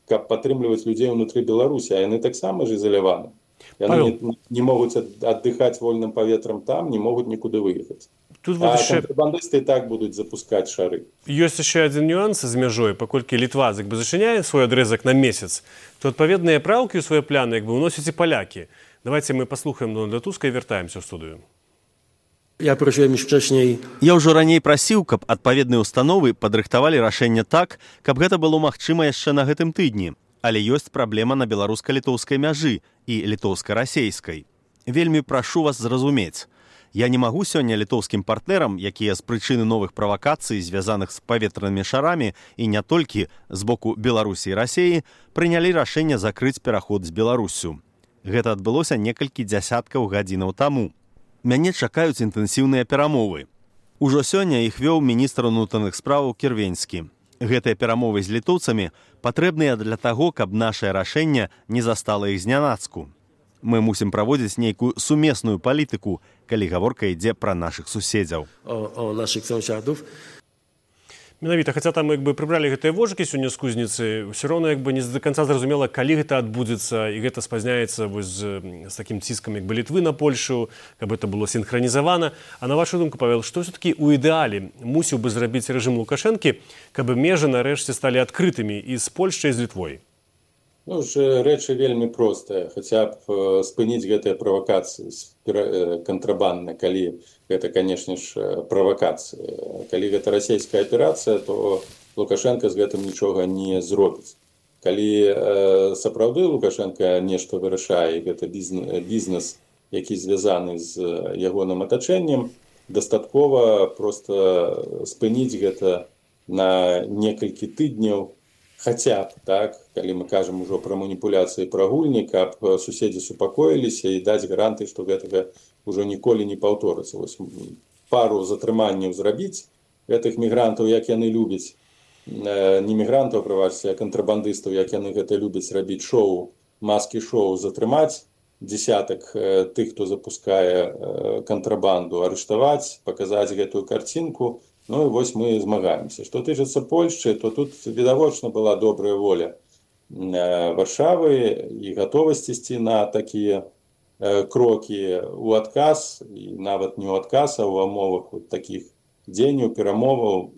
S3: каб падтрымліваць людзей ўнутры Беларусі, а яны таксама ж ізаляваны. Яны не, не могуць аддыхаць вольным паветрам там, не могуць нікуды выехаць.
S2: Тут
S3: а
S2: вот
S3: кантрабандысты і так будуць запускаць шары.
S2: Ёсць яшчэ адзін нюанс з мяжой, паколькі Літва як бы зачыняе свой адрезак на месяц, то адпаведныя праўкі ў свае пляны як бы ўносяць і палякі. Давайте мы паслухаем Дональда Туска і вяртаемся ў студыю.
S6: Я просіў już wcześniej.
S7: Я ўжо раней прасіў, каб адпаведныя установы падрыхтавалі рашэнне так, каб гэта было магчыма яшчэ на гэтым тыдні. Але ёсць праблема на беларуска-літоўскай мяжы і літоўска-расейскай. Вельмі прашу вас зразумець. Я не магу сёння літоўскім партнерам, якія з прычыны новых правакацый, звязаных з паветранымі шарамі і не толькі з боку Беларусі і Расеі, прынялі рашэнне закрыць пераход з Беларусю. Гэта адбылося некалькі дзясяткаў гадзінаў таму. Мяне чакаюць інтэнсіўныя перамовы. Ужо сёння іх вёў міністр унутраных спраў Кірвенскі. Гэтыя перамовы з літоўцамі патрэбныя для таго, каб нашае рашэнне не застала іх знянацку. Мы мусім праводзіць нейкую сумесную палітыку, калі гаворка ідзе пра нашых суседзяў.
S6: O, o naszych sąsiadów.
S2: Менавіта, хаця там як бы прыбралі гэтыя вожыкі сёння з кузніцы, ўсё роўна як бы не да канца зразумела, калі гэта адбудзецца, і гэта спазняецца вось з, з такім ціскам як бы Літвы на Польшу, каб гэта было сінхранізавана. А на вашу думку, Павел, што ўсё-такі ў ідэале мусіў бы зрабіць рэжым Лукашэнкі, каб межы нарэшце сталі адкрытымі і з Польшчай, і з Літвой?
S3: Ну, ж рэчы вельмі простыя, хаця б спыніць гэтыя правакацыі кантрабандныя, калі гэта, канешне ж, правакацыі. Калі гэта расійская аперацыя, то Лукашенко з гэтым нічога не зробіць. Калі э, сапраўды Лукашенко нешта вырашае, гэта бізнес, які звязаны з ягоным атачэннем, дастаткова проста спыніць гэта на некалькі тыдняў, хаця б, так, калі мы кажам ужо пра маніпуляцыі пра гульні, каб суседзі супакоіліся і даць гаранты, што гэтага ўжо ніколі не паўторыцца. Вось пару затрыманняў зрабіць гэтых мігрантаў, як яны любяць, не мігрантаў, прабачце, а кантрабандыстаў, як яны гэта любяць рабіць шоу, маскі-шоу, затрымаць дзесятак тых, хто запускае кантрабанду, арыштаваць, паказаць гэтую карцінку. Ну і вось мы змагаемся. Што тычыцца Польшчы, то тут відавочна была добрая воля Варшавы і гатовасць ісці на такія крокі ў адказ, і нават не ў адказ, а ў умовах такіх дзеянняў, перамоваў,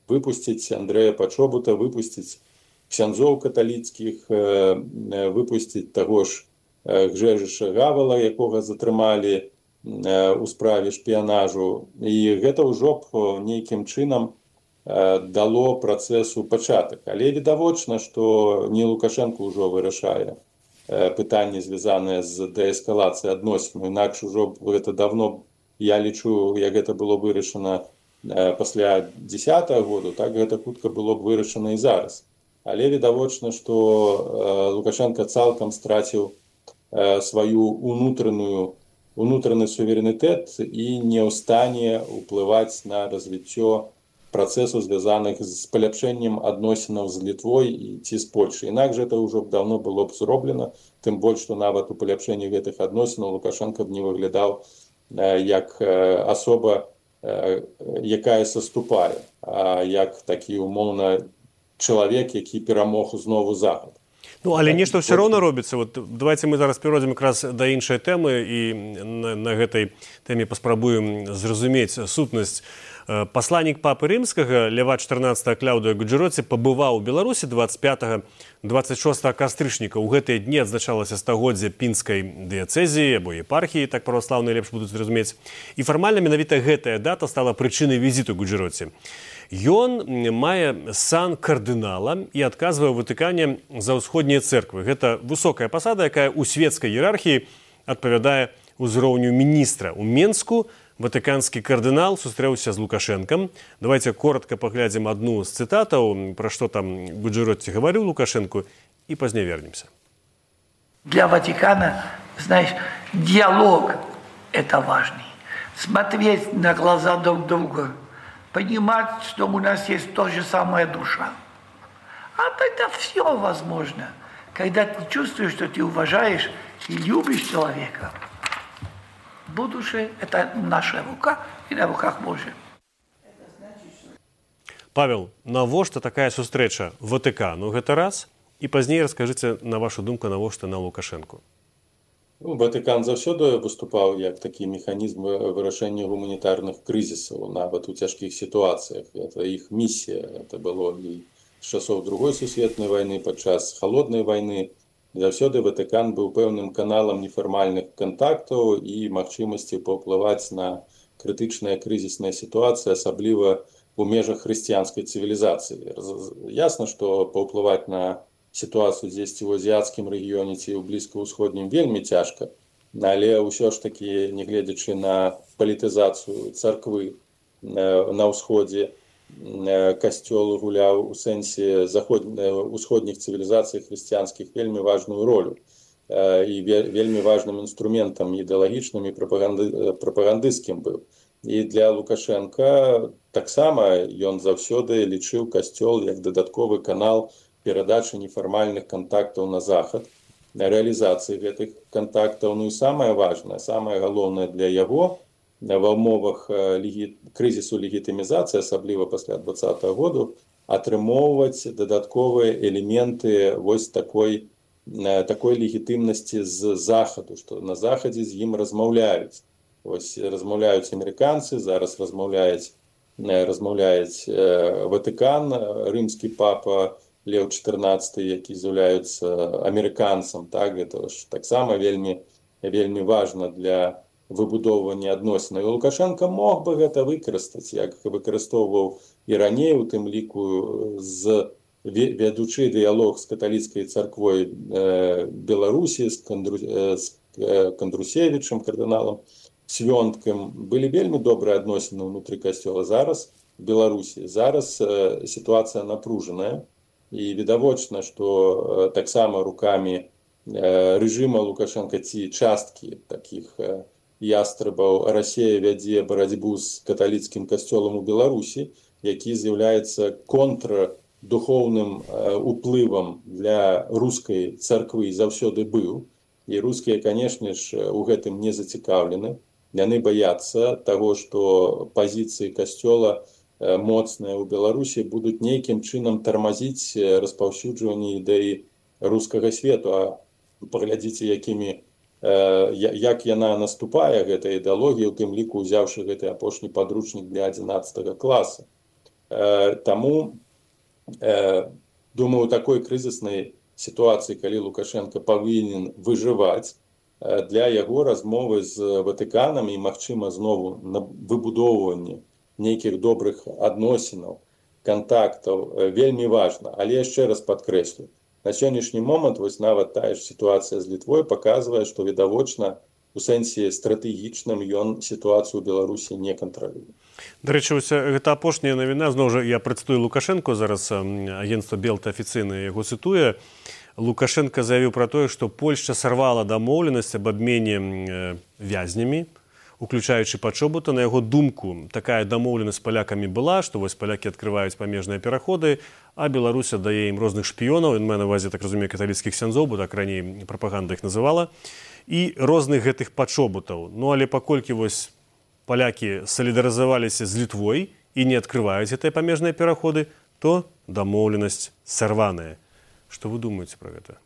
S3: выпусціць Андрэя Пачобута, выпусціць ксяндзоў каталіцкіх, выпусціць таго ж Гжэжыша Гавала, якога затрымалі у справе шпіянажу. І гэта ўжо б нейкім чынам дало працэсу пачатак. Але відавочна, што не Лукашенко ўжо вырашае пытанні, звязаныя з дээскалацыяй адносін. Інакш ужо гэта давно, я лічу, як гэта было вырашана пасля дзесятага году, так гэта хутка было б вырашана і зараз. Але відавочна, што Лукашенко цалкам страціў сваю унутраную унутраны суверэнітэт і не ў стане ўплываць на развіццё працэсу, звязаных з паляпшэннем адносінаў з Літвой і ці з Польшай. Інакш гэта ўжо б даўно было б зроблена, тым больш, што нават у паляпшэнні гэтых адносінаў Лукашенко б не выглядаў як асоба, якая саступае, а як такі умоўна чалавек, які перамог знову Захад.
S2: Ну, але нешта ўсё роўна робіцца. Вот давайте мы зараз перайдзем якраз да іншай тэмы і на, на гэтай тэме паспрабуем зразумець сутнасць. Пасланнік папы рымскага Леват чатырнаццатага Кляўдыя Гуджэроці пабываў у Беларусі дваццаць пятага — дваццаць шостага кастрычніка. У гэтыя дні адзначалася стагоддзе пінскай дыяцэзіі або епархіі, так праваслаўныя лепш будуць зразумець. І фармальна менавіта гэтая дата стала прычынай візіту Гуджэроці. Ён мае сан кардынала і адказвае ў Ватыкане за ўсходнія цэрквы. Гэта высокая пасада, якая ў свецкай іерархіі адпавядае ўзроўню міністра. У Менску ватыканскі кардынал сустрэўся з Лукашэнкам. Давайте коротко паглядзім адну з цытатаў, пра што там Гуджэроці гаварыў Лукашэнку, і пазней вернемся.
S8: Для Ватикана, знаешь, диалог – это важный. Смотреть на глаза друг друга, понимать, что у нас есть та же самая душа. А тогда все возможно. Когда ты чувствуешь, что ты уважаешь и любишь человека, будущее – это наша рука и на руках Божьих.
S2: Павел, навошта такая сустрэча Ватыкану гэта раз? І пазней раскажыце, на вашу думку, навошта на Лукашэнку.
S3: Ну, Ватыкан заўсёды выступаў як такі механізм вырашэння гуманітарных крызісаў, нават у цяжкіх сітуацыях. Это іх місія. Это было і з часоў Другой сусветнай вайны, падчас халоднай вайны. Заўсёды Ватыкан быў пэўным каналам нефармальных кантактаў і магчымасці паўплываць на крытычныя крызісныя сітуацыі, асабліва у межах хрысціянскай цывілізацыі. Ясна, што паўплываць на сітуацыю дзесьці ў азіяцкім рэгіёне ці ў блізкаўсходнім вельмі цяжка, але ўсё ж такі, нягледзячы на палітызацыю царквы на ўсходзе, касцёл гуляў у сэнсе усходніх цывілізацый хрысціянскіх вельмі важную ролю і вельмі важным інструментам ідэалагічным і прапагандысцкім быў. І для Лукашэнка таксама ён заўсёды лічыў касцёл як дадатковы канал перадачы нефармальных кантактаў на захад, рэалізацыі гэтых кантактаў. Ну і самае важнае, самае галоўнае для яго ва ўмовах крызісу легітымізацыі, асабліва пасля дваццатага году, атрымоўваць дадатковыя элементы вось такой, такой легітымнасці з захаду, што на захадзе з ім размаўляюць. Вось размаўляюць амерыканцы, зараз размаўляюць, размаўляюць Ватыкан, рымскі папа Леў чатырнаццаты, які з'яўляецца амерыканцам, так, гэта ж таксама вельмі, вельмі важна для выбудоўвання адносінаў. І Лукашенко мог бы гэта выкарыстаць, як выкарыстоўваў і раней, у тым ліку з вядучы дыялог з каталіцкай царквой Беларусі, з Кандрусевічам, кардыналам Свёнткам. Былі вельмі добрыя адносіны ўнутры касцёла. Зараз в Беларусі, зараз сітуацыя напружаная. І відавочна, што таксама рукамі рэжыма Лукашенка ці часткі такіх ястрабаў Расія вядзе барацьбу з каталіцкім касцёлам у Беларусі, які з'яўляецца контрадухоўным уплывам для рускай царквы заўсёды быў. І рускія, канешне ж, у гэтым не зацікаўлены. Яны баяцца таго, што пазіцыі касцёла моцныя ў Беларусі будуць нейкім чынам тармазіць распаўсюджванне ідэі рускага свету. А паглядзіце, якімі, як яна наступае, гэта ідэалогія, у тым ліку ўзяўшы гэты апошні падручнік для адзінаццатага класа. Таму, думаю, у такой крызіснай сітуацыі, калі Лукашенко павінен выжываць, для яго размовы з Ватыканам і, магчыма, знову на выбудоўванне нейкіх добрых адносінаў, кантактаў вельмі важна. Але яшчэ раз падкрэслю, на сённяшні момант вось нават тая ж сітуацыя з Літвой паказвае, што відавочна у сэнсе стратэгічным ён сітуацыю ў Беларусі не кантралюе.
S2: Дарэчы, гэта апошняя навіна, зноў жа я прадстую Лукашенко, зараз агенцтва Белта афіцыйна яго цытуе. Лукашенко заявіў пра тое, што Польшча сарвала дамоўленасць аб абмене вязнямі, уключаючы пачобута. На яго думку, такая дамоўленасць з палякамі была, што вось палякі адкрываюць памежныя пераходы, а Беларусь дае ім розных шпіёнаў, ён мае на ўвазе, так разумею, каталіцкіх ксяндзоў, бо так раней прапаганда іх называла, і розных гэтых пачобутаў. Ну, але паколькі вось палякі салідарызаваліся з Літвой і не адкрываюць гэтыя памежныя пераходы, то дамоўленасць сарваная. Што вы думаеце пра гэта?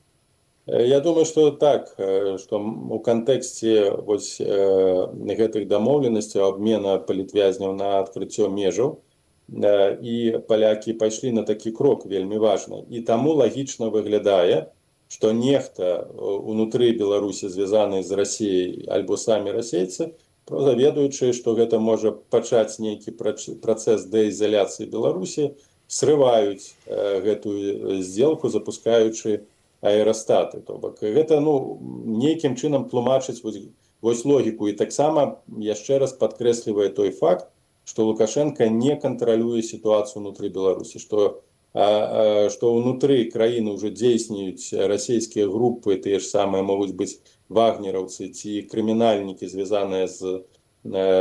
S3: Я думаю, што так, што у кантэксце вось гэтых дамоўленасцяў абмена палітвязняў на адкрыццё межаў і палякі пайшлі на такі крок вельмі важны. І таму лагічна выглядае, што нехта унутры Беларусі звязаны з Расіяй альбо самі расейцы, проста ведаючы, што гэта можа пачаць нейкі працэс дэізаляцыі Беларусі, срываюць гэтую здзелку, запускаючы аэрастаты. То бок гэта ну нейкім чынам тлумачыць вось, вось логіку. І таксама яшчэ раз падкрэслівае той факт, што Лукашенко не кантралюе сітуацыю ўнутры Беларусі, што а, а, што ўнутры краіны ўжо дзейснююць расійскія групы, тыя ж самыя могуць быць вагнераўцы ці крымінальнікі, звязаныя з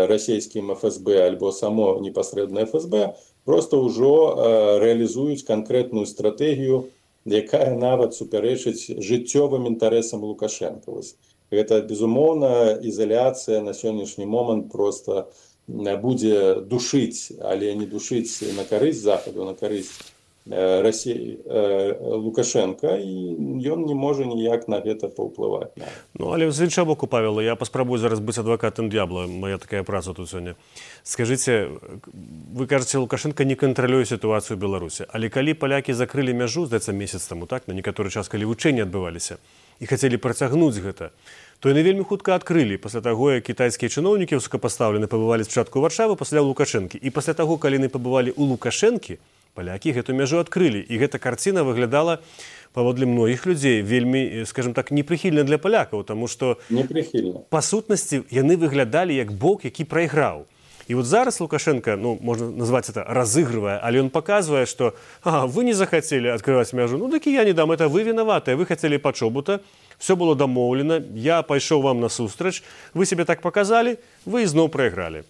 S3: расійскім эф эс бэ альбо само непасрэдна эф эс бэ, проста ўжо а, рэалізуюць канкрэтную стратэгію, якая нават супярэчыць жыццёвым інтарэсам Лукашенка. Гэта, безумоўна, ізаляцыя на сённяшні момант проста будзе душыць, але не душыць на карысць Захаду, на карысць Расіі Лукашенка, і ён не можа ніяк на гэта паўплываць.
S2: Ну, але з іншага боку, Павел, я паспрабую зараз быць адвакатам д'ябла, моя такая праца тут сёння. Скажыце, вы кажаце, Лукашенко не кантралюе сітуацыю ў Беларусі, але калі палякі закрылі мяжу, здаецца, месяц таму, так, на некаторы час, калі вучэнні адбываліся, і хацелі працягнуць гэта, то яны вельмі хутка адкрылі пасля таго, як кітайскія чыноўнікі высокапастаўлены пабывалі спачатку ў Варшавы, пасля Лукашэнкі. І пасля таго, калі яны пабывалі ў Лукашэнкі, палякі гэту мяжу адкрылі. І гэта карціна выглядала, паводле многіх людзей, вельмі, скажем так, непрыхільна для палякаў, таму што па сутнасці яны выглядалі як бок, які прайграў. І вот зараз Лукашенко, ну, можна назваць это, разыгрывае, але ён паказвае, што ага, вы не захацелі адкрываць мяжу, ну, такі я не дам, это вы вінаватыя, вы хацелі пачобута, все было дамоўлена, я пайшоў вам насустрач, вы себе так паказалі, вы ізноў прайгралі.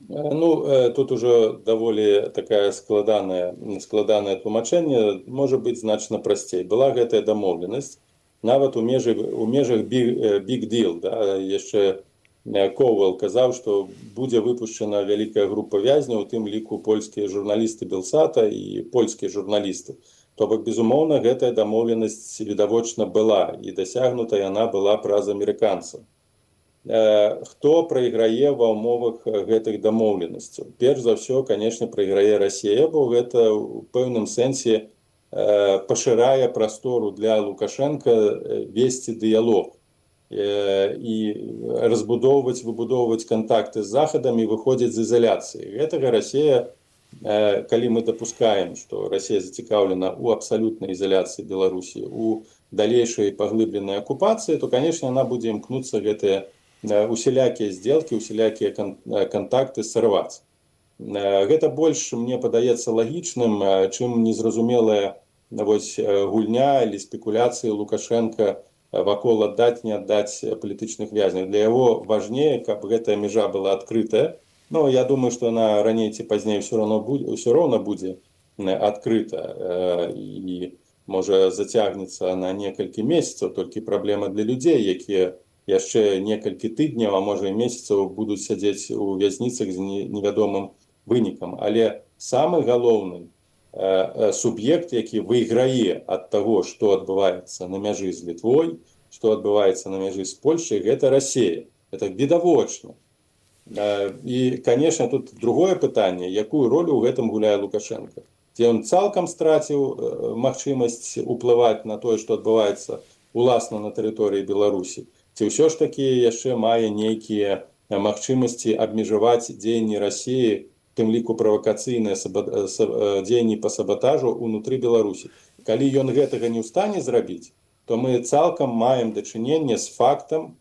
S3: Ну, тут уже даволі такая складаная, складанае тлумачэнне, можа быць значна прасцей. Была гэтая дамоўленасць, нават у межах, у межах big, big deal, да, яшчэ Коўвал казаў, што будзе выпушчана вялікая група вязняў, у тым ліку польскія журналісты Белсата і польскія журналісты. То бок, безумоўна, гэтая дамоўленасць відавочна была, і дасягнута яна была праз амерыканцаў. Хто прайграе ва ўмовах гэтых дамоўленасцяў? Перш за ўсё, канешне, прайграе Расія, бо гэта ў пэўным сэнсе пашырае прастору для Лукашенка весці дыялог і разбудоўваць, выбудоўваць кантакты з Захадам і выходзіць з ізаляцыі. Гэтага Расія, калі мы дапускаем, што Расія зацікаўлена ў абсалютнай ізаляцыі Беларусі, у далейшай паглыбленай акупацыі, то, канешне, яна будзе імкнуцца гэтыя усялякія здзелкі, усялякія кантакты сарваць. Гэта больш, мне падаецца, лагічным, чым незразумелая вось гульня или спекуляцыі Лукашенка вакол аддаць, не аддаць палітычных вязняў. Для яго важнее, каб гэтая мяжа была адкрытая. Но я думаю, што она раней ці пазней ўсё роўна будзе, ўсё роўна будзе адкрыта і можа зацягнецца на некалькі месяцаў, толькі праблема для людзей, якія яшчэ некалькі тыдняў, а можа і месяцаў будуць сядзець у вязніцах з невядомым вынікам. Але самы галоўны суб'ект, які выйграе ад таго, што адбываецца на мяжы з Літвой, што адбываецца на мяжы з Польшай, гэта Расія. Это відавочна. І, канешне, тут другое пытанне, якую ролю ў гэтым гуляе Лукашенко. Ці ён цалкам страціў магчымасць уплываць на тое, што адбываецца уласна на тэрыторыі Беларусі. Ці ўсё ж такі яшчэ мае нейкія магчымасці абмежаваць дзеянні Расіі, тым ліку правакацыйныя дзеянні па сабатажу ўнутры Беларусі. Калі ён гэтага не ў стане зрабіць, то мы цалкам маем дачыненне з фактам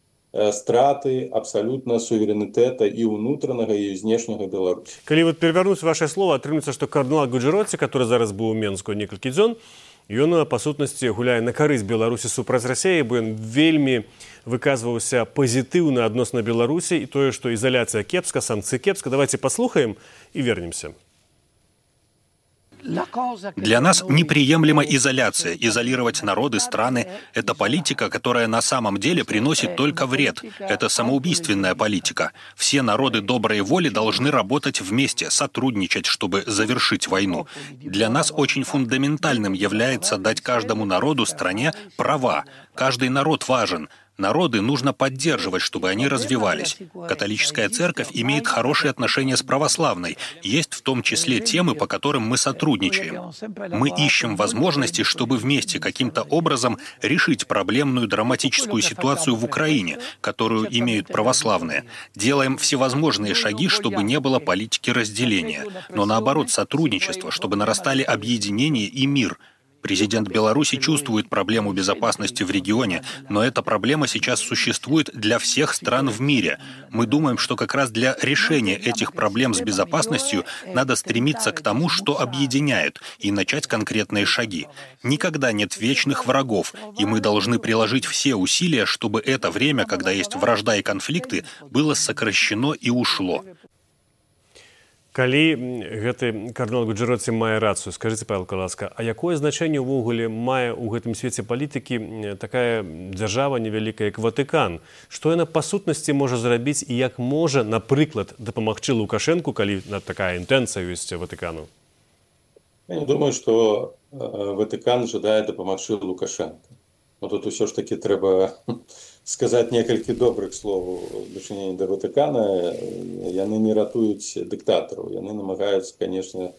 S3: страты абсалютна суверэнітэта і ўнутранага, і знешняга Беларусі.
S2: Калі вот перавярнуць ваше слово, атрымліваецца, што кардынал Гуджэроці, который зараз быў у Менску некалькі дзён, ён, па сутнасці, гуляе на карысць Беларусі супраць Расіі, бо ён вельмі выказваўся пазітыўна адносна Беларусі і тое, што ізаляцыя кепска, санкцыі кепска. Давайте паслухаем і вернемся.
S9: Для нас неприемлема изоляция. Изолировать народы, страны – это политика, которая на самом деле приносит только вред. Это самоубийственная политика. Все народы доброй воли должны работать вместе, сотрудничать, чтобы завершить войну. Для нас очень фундаментальным является дать каждому народу, стране права. Каждый народ важен. Народы нужно поддерживать, чтобы они развивались. Католическая церковь имеет хорошие отношения с православной. Есть в том числе темы, по которым мы сотрудничаем. Мы ищем возможности, чтобы вместе каким-то образом решить проблемную драматическую ситуацию в Украине, которую имеют православные. Делаем всевозможные шаги, чтобы не было политики разделения, но наоборот сотрудничество, чтобы нарастали объединение и мир. Президент Беларуси чувствует проблему безопасности в регионе, но эта проблема сейчас существует для всех стран в мире. Мы думаем, что как раз для решения этих проблем с безопасностью надо стремиться к тому, что объединяет, и начать конкретные шаги. Никогда нет вечных врагов, и мы должны приложить все усилия, чтобы это время, когда есть вражда и конфликты, было сокращено и ушло.
S2: Калі гэты кардынал Гуджэроці мае рацыю, скажыце, Павел Каласка, а якое значэнне ўвогуле мае ў гэтым свеце палітыкі такая дзяржава невялікая, як Ватыкан? Што яна па сутнасці можа зрабіць і як можа, напрыклад, дапамагчы Лукашэнку, калі такая інтэнцыя ёсць Ватыкану?
S3: Я не думаю, што Ватыкан жадае дапамагчы Лукашэнку. Но тут усё ж таки трэба сказаць некалькі добрых слоў у дачыненні да Ватыкана. Яны не ратуюць дыктатараў. Яны намагаюцца, конечно,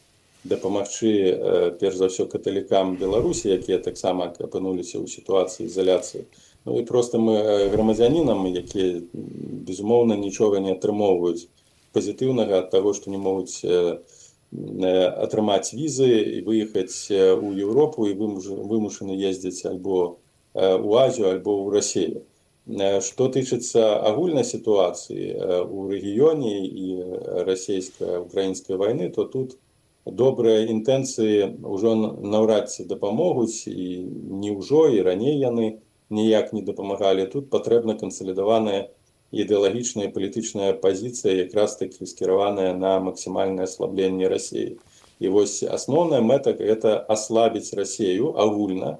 S3: дапамагчы перш за ўсё каталікам Беларусі, якія таксама апынуліся ў сітуацыі ізаляцыі. Ну і проста мы грамадзянінам, якія безумоўна нічога не атрымоўваюць пазітыўнага ад таго, што не могуць атрымаць візы і выехаць у Еўропу і вымушаны ездзіць альбо у Азію, альбо ў Расію. Што тычыцца агульнай сітуацыі ў рэгіёне і расійска-украінскай вайны, то тут добрыя інтэнцыі ўжо наўрад ці дапамогуць, і не ўжо, і раней яны ніяк не дапамагалі. Тут патрэбна кансалідаваная ідэалагічная і палітычная пазіцыя, якраз такі скіраваная на максімальнае аслабленне Расіі. І вось асноўная мэта – гэта аслабіць Расію агульна,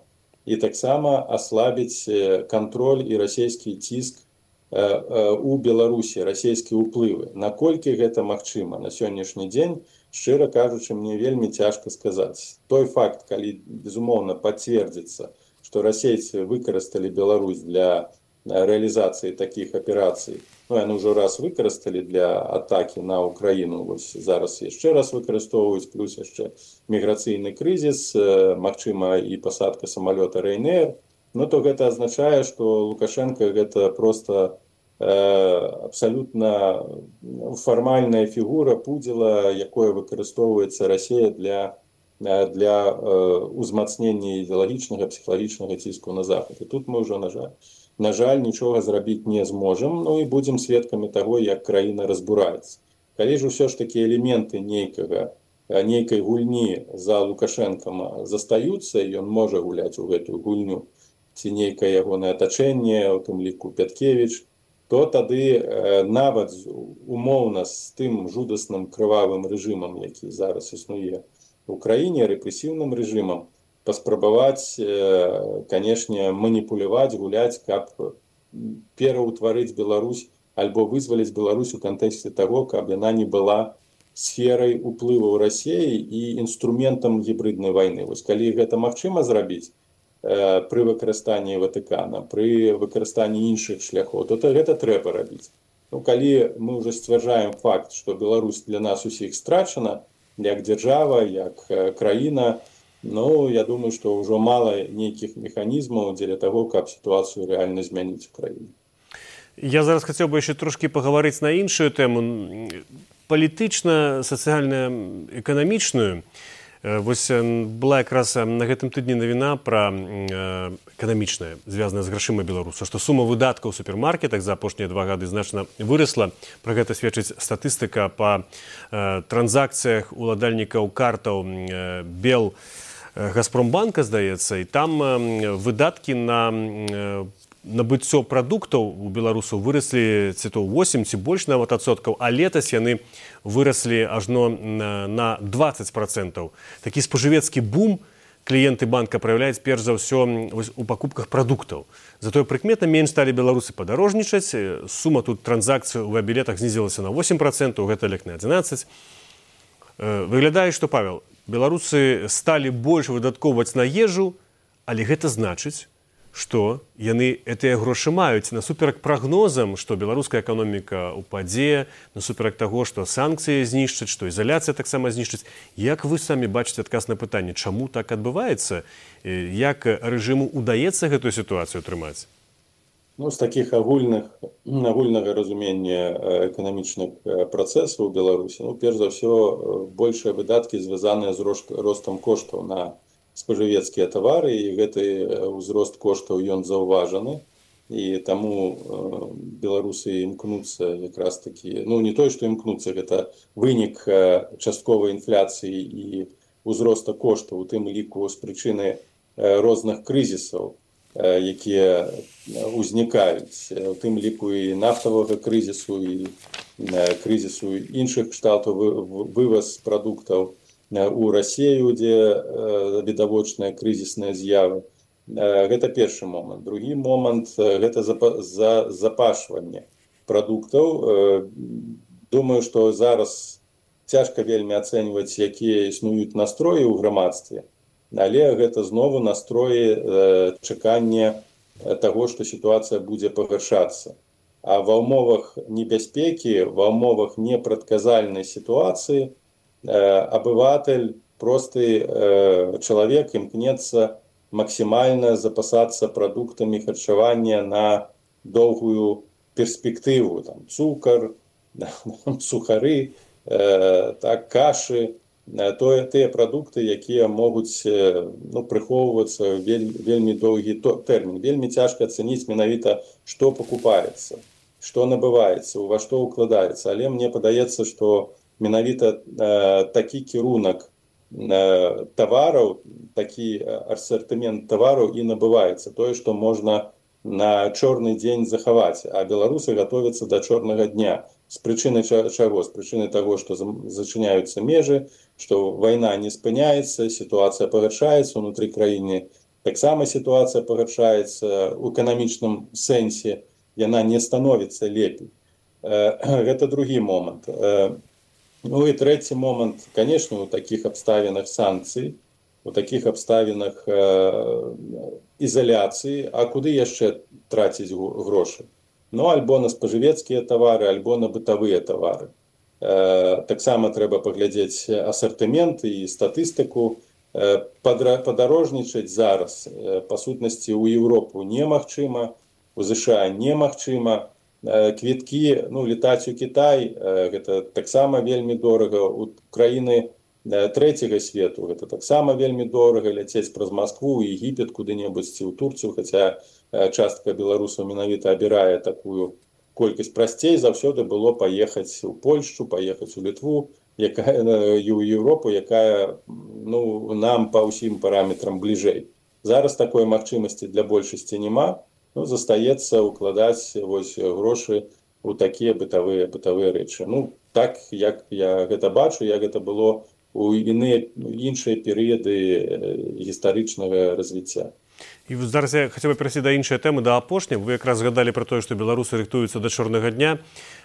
S3: і таксама аслабіць кантроль і расійскі ціск у Беларусі, расійскія ўплывы. Наколькі гэта магчыма на сённяшні дзень, шчыра кажучы, мне вельмі цяжка сказаць. Той факт, калі, безумоўна, пацвердзіцца, што расейцы выкарысталі Беларусь для рэалізацыі такіх аперацый, ну, яны ўжо раз выкарысталі для атакі на Украіну, вось зараз яшчэ раз выкарыстоўваюць, плюс яшчэ міграцыйны крызіс, магчыма і пасадка самалёта Ryanair, ну, то гэта азначае, што Лукашенко гэта проста э, абсалютна фармальная фігура пудзіла, якое выкарыстоўваецца Расія для, для э, узмацнення ідэалагічнага, псіхалагічнага ціску на Захад. І тут мы ўжо, на жаль, На жаль, нічога зрабіць не зможам, ну і будзем сведкамі таго, як краіна разбураецца. Калі ж усё ж такі элементы нейкага, нейкай гульні за Лукашэнкам застаюцца, і ён можа гуляць у гэтую гульню, ці нейкае ягонае атачэнне, у тым ліку Пяткевіч, то тады нават умоўна з тым жудасным крывавым рэжымам, які зараз існуе ў краіне, рэпрэсіўным рэжымам, паспрабаваць, канешне, маніпуляваць, гуляць, каб пераўтварыць Беларусь альбо вызваліць Беларусь у кантэксце таго, каб яна не была сферай уплыву Расіі і інструментам гібриднай вайны. Вось калі гэта магчыма зрабіць пры выкарыстанні Ватыкана, пры выкарыстанні іншых шляхоў, то гэта трэба рабіць. Ну, калі мы ўжо сцвярджаем факт, што Беларусь для нас усіх страчана, як дзяржава, як краіна, ну, я думаю, што ўжо мала нейкіх механізмаў дзеля таго, каб сітуацыю рэальна змяніць у краіне.
S2: Я зараз хацеў бы яшчэ трошкі пагаварыць на іншую тэму, палітычна, сацыяльна, эканамічную. Вось была якраз на гэтым тыдні навіна пра эканамічная, звязаная з грашыма беларуса, што сума выдаткаў у супермаркетах за апошнія два гады значна вырасла. Пра гэта сведчыць статыстыка па транзакцыях уладальнікаў картаў Бел Газпромбанка, здаецца, і там выдаткі на набыццё прадуктаў у беларусаў выраслі ці то восемь ці больш нават адсоткаў, а летась яны выраслі ажно на двадцать процентаў. Такі спажывецкі бум кліенты банка праяўляюць перш за ўсё у пакупках прадуктаў. Затое прыкметна менш сталі беларусы падарожнічаць, сума тут транзакцый у авіабілетах знізілася на восемь процентаў, гэта лек на адзінаццаць. Выглядае, што, Павел, беларусы сталі больш выдаткоўваць на ежу, але гэта значыць, што яны гэтыя грошы маюць насуперак прагнозам, што беларуская эканоміка упадзе, насуперак таго, што санкцыі знішчаць, што ізаляцыя таксама знішчыць. Як вы самі бачыце адказ на пытанне, чаму так адбываецца? Як рэжыму ўдаецца гэтую сітуацыю трымаць?
S3: Ну, з такіх агульных, агульнага разумення эканамічных працэсаў у Беларусі, ну, перш за ўсё, большыя выдаткі звязаныя з ростам коштаў на спажывецкія тавары, і гэты ўзрост коштаў ён заўважаны, і таму беларусы імкнуцца якраз такі, ну не той, што імкнуцца, гэта вынік частковай інфляцыі і ўзроста коштаў, у тым ліку з прычыны розных крызісаў, якія ўзнікаюць, у тым ліку і нафтавага крызісу, і крызісу іншых кшталтаў, вываз прадуктаў у Расію, дзе відавочныя крызісныя з'явы. Гэта першы момант. Другі момант – гэта запашванне прадуктаў. Думаю, што зараз цяжка вельмі ацэньваць, якія існуюць настроі ў грамадстве, але гэта знову настроі чакання таго, што сітуацыя будзе пагаршацца. А ва ўмовах небяспекі, ва ўмовах непрадказальнай сітуацыі абыватель, просты чалавек імкнецца максімальна запасацца прадуктамі харчавання на доўгую перспектыву. Там, цукар, сухары, так, кашы, тое, тыя прадукты, якія могуць ну, прыхоўвацца вель, вельмі доўгі тэрмін. Вельмі цяжка ацаніць менавіта, што пакупаецца, што набываецца, ува што ўкладаецца. Але мне падаецца, што менавіта э, такі кірунак э, тавараў, такі асартымент тавараў і набываецца. Тое, што можна на чорны дзень захаваць. А беларусы гатовяцца да чорнага дня. З прычыны чаго? З прычыны таго, што зачыняюцца межы, што вайна не спыняецца, сітуацыя пагаршаецца ўнутры краіны. Таксама сітуацыя пагаршаецца ў эканамічным сэнсе. Яна не становіцца лепей. Э, гэта другі момант. Э, Ну і трэці момант, конечно, у такіх абставінах санкцый, у такіх абставінах э, ізаляцыі, а куды яшчэ траціць грошы? Ну, альбо на спажывецкія тавары, альбо на бытавыя тавары. Э, таксама трэба паглядзець асартымент і статыстыку. Э, падарожнічаць зараз, э, па сутнасці, у Еўропу немагчыма, у ЗША немагчыма. Квіткі, ну, летаць у Кітай, гэта таксама вельмі дорага. У краіны трэцяга свету гэта таксама вельмі дорага, ляцець праз Маскву, Егіпет, куды-небудзь ці ў Турцыю, хаця частка беларусаў менавіта абірае такую колькасць. Прасцей заўсёды было паехаць у Польшчу, паехаць у Літву, якая, і ў Еўропу, якая ну, нам па ўсім параметрам бліжэй. Зараз такой магчымасці для большасці няма. Ну, застаецца укладаць вось грошы ў такія бытавыя бытавыя рэчы. Ну, так, як я гэта бачу, як гэта было ў іныя іншыя перыяды гістарычнага развіцця.
S2: І зараз я хацеў бы перайсці да іншай тэмы, да апошняй. Вы якраз згадалі пра тое, што беларусы рыхтуюцца да чорнага дня,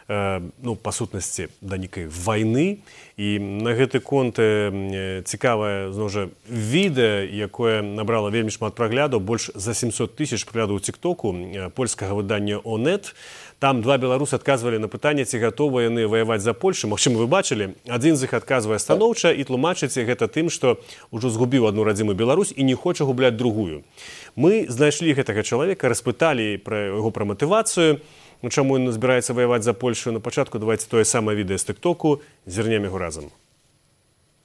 S2: э, ну, па сутнасці, да нейкай вайны. І на гэты конт э, цікавае, зноў жа, відэа, якое набрала вельмі шмат праглядаў, больш за сямсот тысяч праглядаў у тик-току э, польскага выдання «Онет». Там два беларусы адказвалі на пытанне, ці гатовыя яны ваяваць за Польшу. Магчыма, вы бачылі, адзін з іх адказвае станоўча і тлумачыць гэта тым, што ўжо згубіў адну радзімую Беларусь і не хоча губляць другую. Мы знайшлі гэтага чалавека, распыталі пра яго пра матывацыю, ну, чаму ён збіраецца ваяваць за Польшу. На пачатку давайте тое самае відэа з тик-току, зірнем яго разам.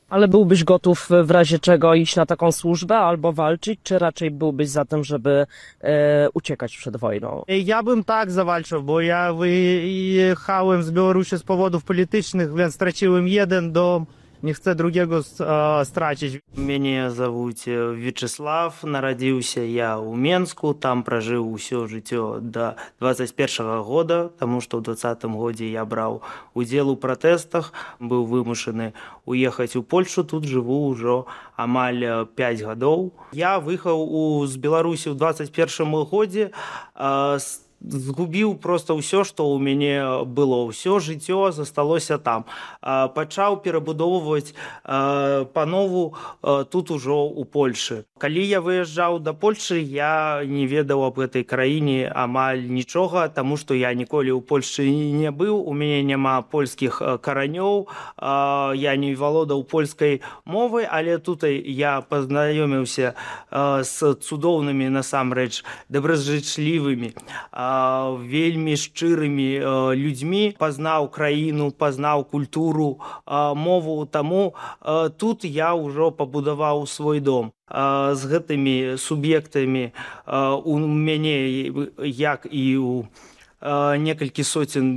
S10: Ale byłbyś gotów w razie czego iść na taką służbę albo walczyć, czy raczej byłbyś za tym, żeby e, uciekać przed wojną?
S11: Ja bym tak zawalczył, bo ja wyjechałem z Białorusi z powodów politycznych, więc straciłem jeden dom, не chcę drugiego e, stracić.
S12: Мяне завуць Вячеслав, нарадзіўся я ў Менску, там пражыў усё жыццё да двадцать першага года, таму што ў двадцатым годзе я браў удзел у пратэстах, быў вымушаны уехаць у Польшу, тут жыву ўжо амаль пяць гадоў. Я выехаў у, з Беларусі ў двадцать першым годзе, э, згубіў проста ўсё, што ў мяне было, ўсё жыццё засталося там. Пачаў перабудоўваць панову тут ужо ў Польшы. Калі я выязджаў да Польшы, я не ведаў аб гэтай краіне амаль нічога, таму што я ніколі ў Польшчы не быў, у мяне няма польскіх каранёў, я не валодаў польскай мовай, але тут я пазнаёміўся з цудоўнымі, насамрэч, добразычлівымі, вельмі шчырымі людзьмі, пазнаў краіну, пазнаў культуру, мову, таму тут я ўжо пабудаваў свой дом. З гэтымі суб'ектамі у мяне, як і у некалькі соцень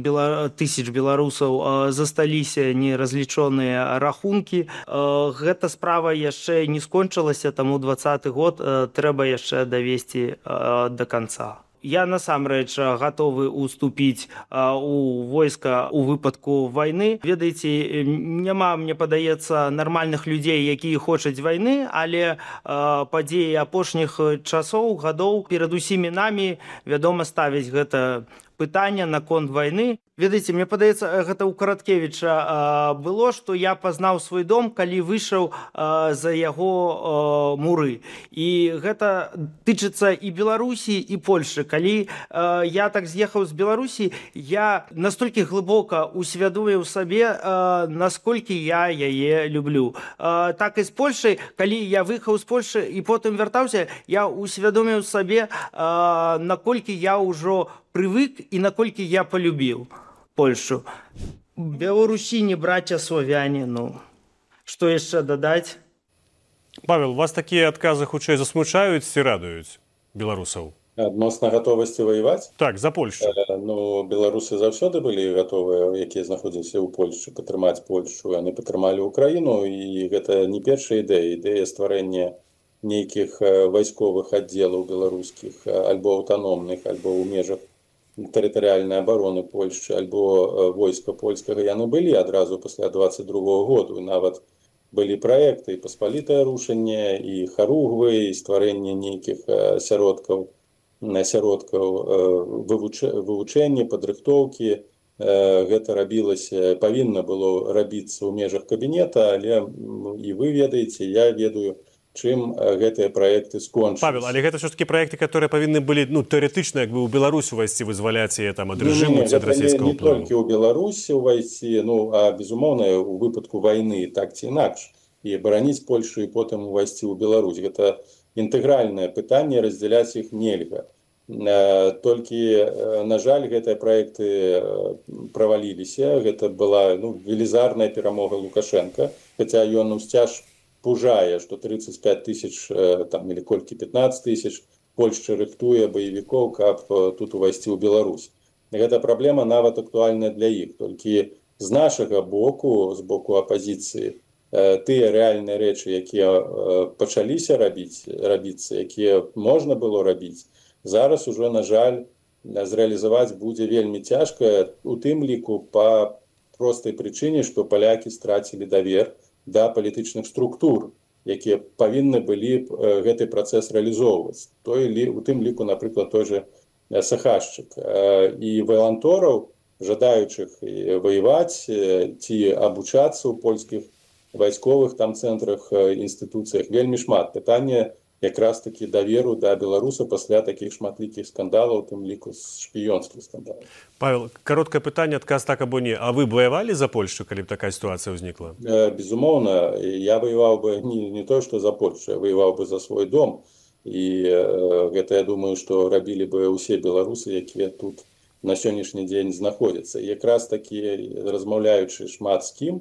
S12: тысяч беларусаў, засталіся неразлічоныя рахункі. Гэта справа яшчэ не скончылася, таму двадцаты год трэба яшчэ давесці да канца. Я насамрэч гатовы уступіць у войска у выпадку вайны. Ведаеце, няма, мне падаецца, нармальных людзей, якія хочуць вайны, але падзеі апошніх часоў, гадоў перад усімі намі, вядома, ставіць гэта пытанне наконт вайны. Ведаеце, мне падаецца, гэта ў Караткевіча было, што я пазнаў свой дом, калі выйшаў за яго муры. І гэта тычыцца і Беларусі, і Польшы. Калі я так з'ехаў з Беларусі, я настолькі глыбока усвядоміў сабе, насколькі я яе люблю. Так і з Польшай, калі я выехаў з Польшы і потым вяртаўся, я усвядоміў сабе, наколькі я ўжо прывык і наколькі я полюбіў Польшу. Беларусіні, брацья славяне, ну, што яшчэ дадаць?
S2: Павел, вас такія адказы хутчэй засмучаюць ці радуюць беларусаў?
S3: Адносна гатовасці ваяваць?
S2: Так, за Польшу.
S3: Э, ну, беларусы заўсёды былі гатовыя, якія знаходзіліся ў Польшчы, падтрымаць Польшу. Яны падтрымалі Украіну, і гэта не першая ідэя. Ідэя стварэння нейкіх вайсковых аддзелаў беларускіх, альбо аўтаномных, альбо ў межах тэрытарыяльнай абароны Польшчы, альбо войска польскага, яны былі адразу пасля двадцать другога году. І нават былі праекты і паспалітае рушэнне, і харугвы, і стварэнне нейкіх асяродкаў, асяродкаў вывучэння, падрыхтоўкі. Гэта рабілася, павінна было рабіцца ў межах кабінета, але і вы ведаеце, я ведаю, чым гэтыя праекты скончыліся.
S2: Павел, але гэта ўсё-такі праекты, которые павінны былі, ну, тэарэтычна, як бы ў Беларусь увайсці, вызваляць яе там ад рэжыму ці ад расійскага ўплыву.
S3: Не толькі ў Беларусі увайсці, ну, а безумоўна, у выпадку вайны так ці інакш, і бараніць Польшу і потым увайсці ў Беларусь. Гэта інтэгральнае пытанне, раздзяляць іх нельга. Толькі, на жаль, гэтыя праекты праваліліся. Гэта была, ну, велізарная перамога Лукашенка, хаця ён усцяж пужае, што тридцать пять тысяч, там, или колькі пятнадцать тысяч Польшча рыхтуе баевікоў, каб тут увайсці ў Беларусь. Гэта праблема нават актуальная для іх. Толькі з нашага боку, з боку апазіцыі, тыя рэальныя рэчы, якія пачаліся рабіць, рабіцца, якія можна было рабіць, зараз ужо, на жаль, зрэалізаваць будзе вельмі цяжка, у тым ліку па простай прычыне, што палякі страцілі давер да палітычных структур, якія павінны былі гэты працэс рэалізоўваць. Той, у тым ліку, напрыклад, той же Сахашчык. І валантораў, жадаючых ваяваць ці абучацца ў польскіх вайсковых там цэнтрах, інстытуцыях, вельмі шмат. Пытанне якраз такі даверу да беларуса пасля такіх шматлікіх скандалаў, тым ліку з шпіёнскіх скандалаў.
S2: Павел, кароткае пытанне, адказ так або не. А вы б ваявалі за Польшу, калі б такая сітуацыя ўзнікла?
S3: Безумоўна, я ваяваў бы не, не то, што за Польшу, я ваяваў бы за свой дом. І гэта, я думаю, што рабілі бы ўсе беларусы, якія тут на сённяшні дзень знаходзяцца. Якраз такі, размаўляючы шмат з кім,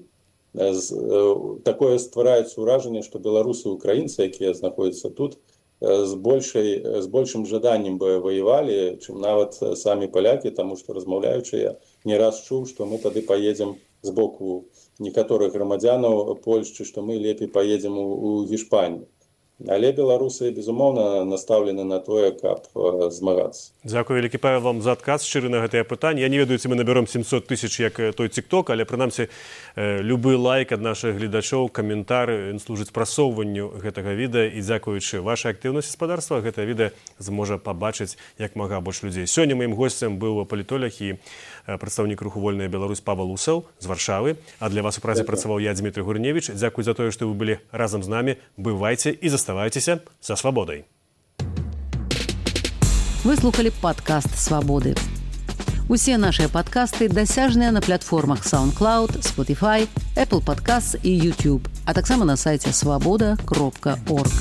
S3: такое ствараецца ўражанне, што беларусы і украінцы, якія знаходзяцца тут, з большай, з большым жаданнем бы ваявалі, чым нават самі палякі, таму што, размаўляючы, я не раз чуў, што мы тады паедзем з боку некаторых грамадзянаў Польшчы, што мы лепей паедзем у, у Гішпанію. Але беларусы, безумоўна, настаўлены на тое, каб э, змагацца.
S2: Дзякую вялікі, Павел, вам за адказ шчыры на гэтае пытанне. Я не ведаю, ці мы набером сямсот тысяч, як той тик-ток, але прынамсі э, любы лайк ад нашых гледачоў, каментар, ён служыць прасоўванню гэтага відэа, і дзякуючы вашай актыўнасці гаспадарства гэта відэа зможа пабачыць як мага больш людзей. Сёння маім госцем быў палітолог і прадстаўнік руху «Вольная Беларусь» Павел Усаў з Варшавы. А для вас у празе працаваў я, Дмітрый Гурневіч. Дзякуй за тое, што вы былі разам з намі. Бывайце і заставайцеся са свабодай.
S1: Вы слухали падкаст «Свабоды». Усе нашыя падкасты дасяжныя на платформах SoundCloud, Spotify, Apple Podcasts і YouTube, а таксама на сайце свабода кропка орг.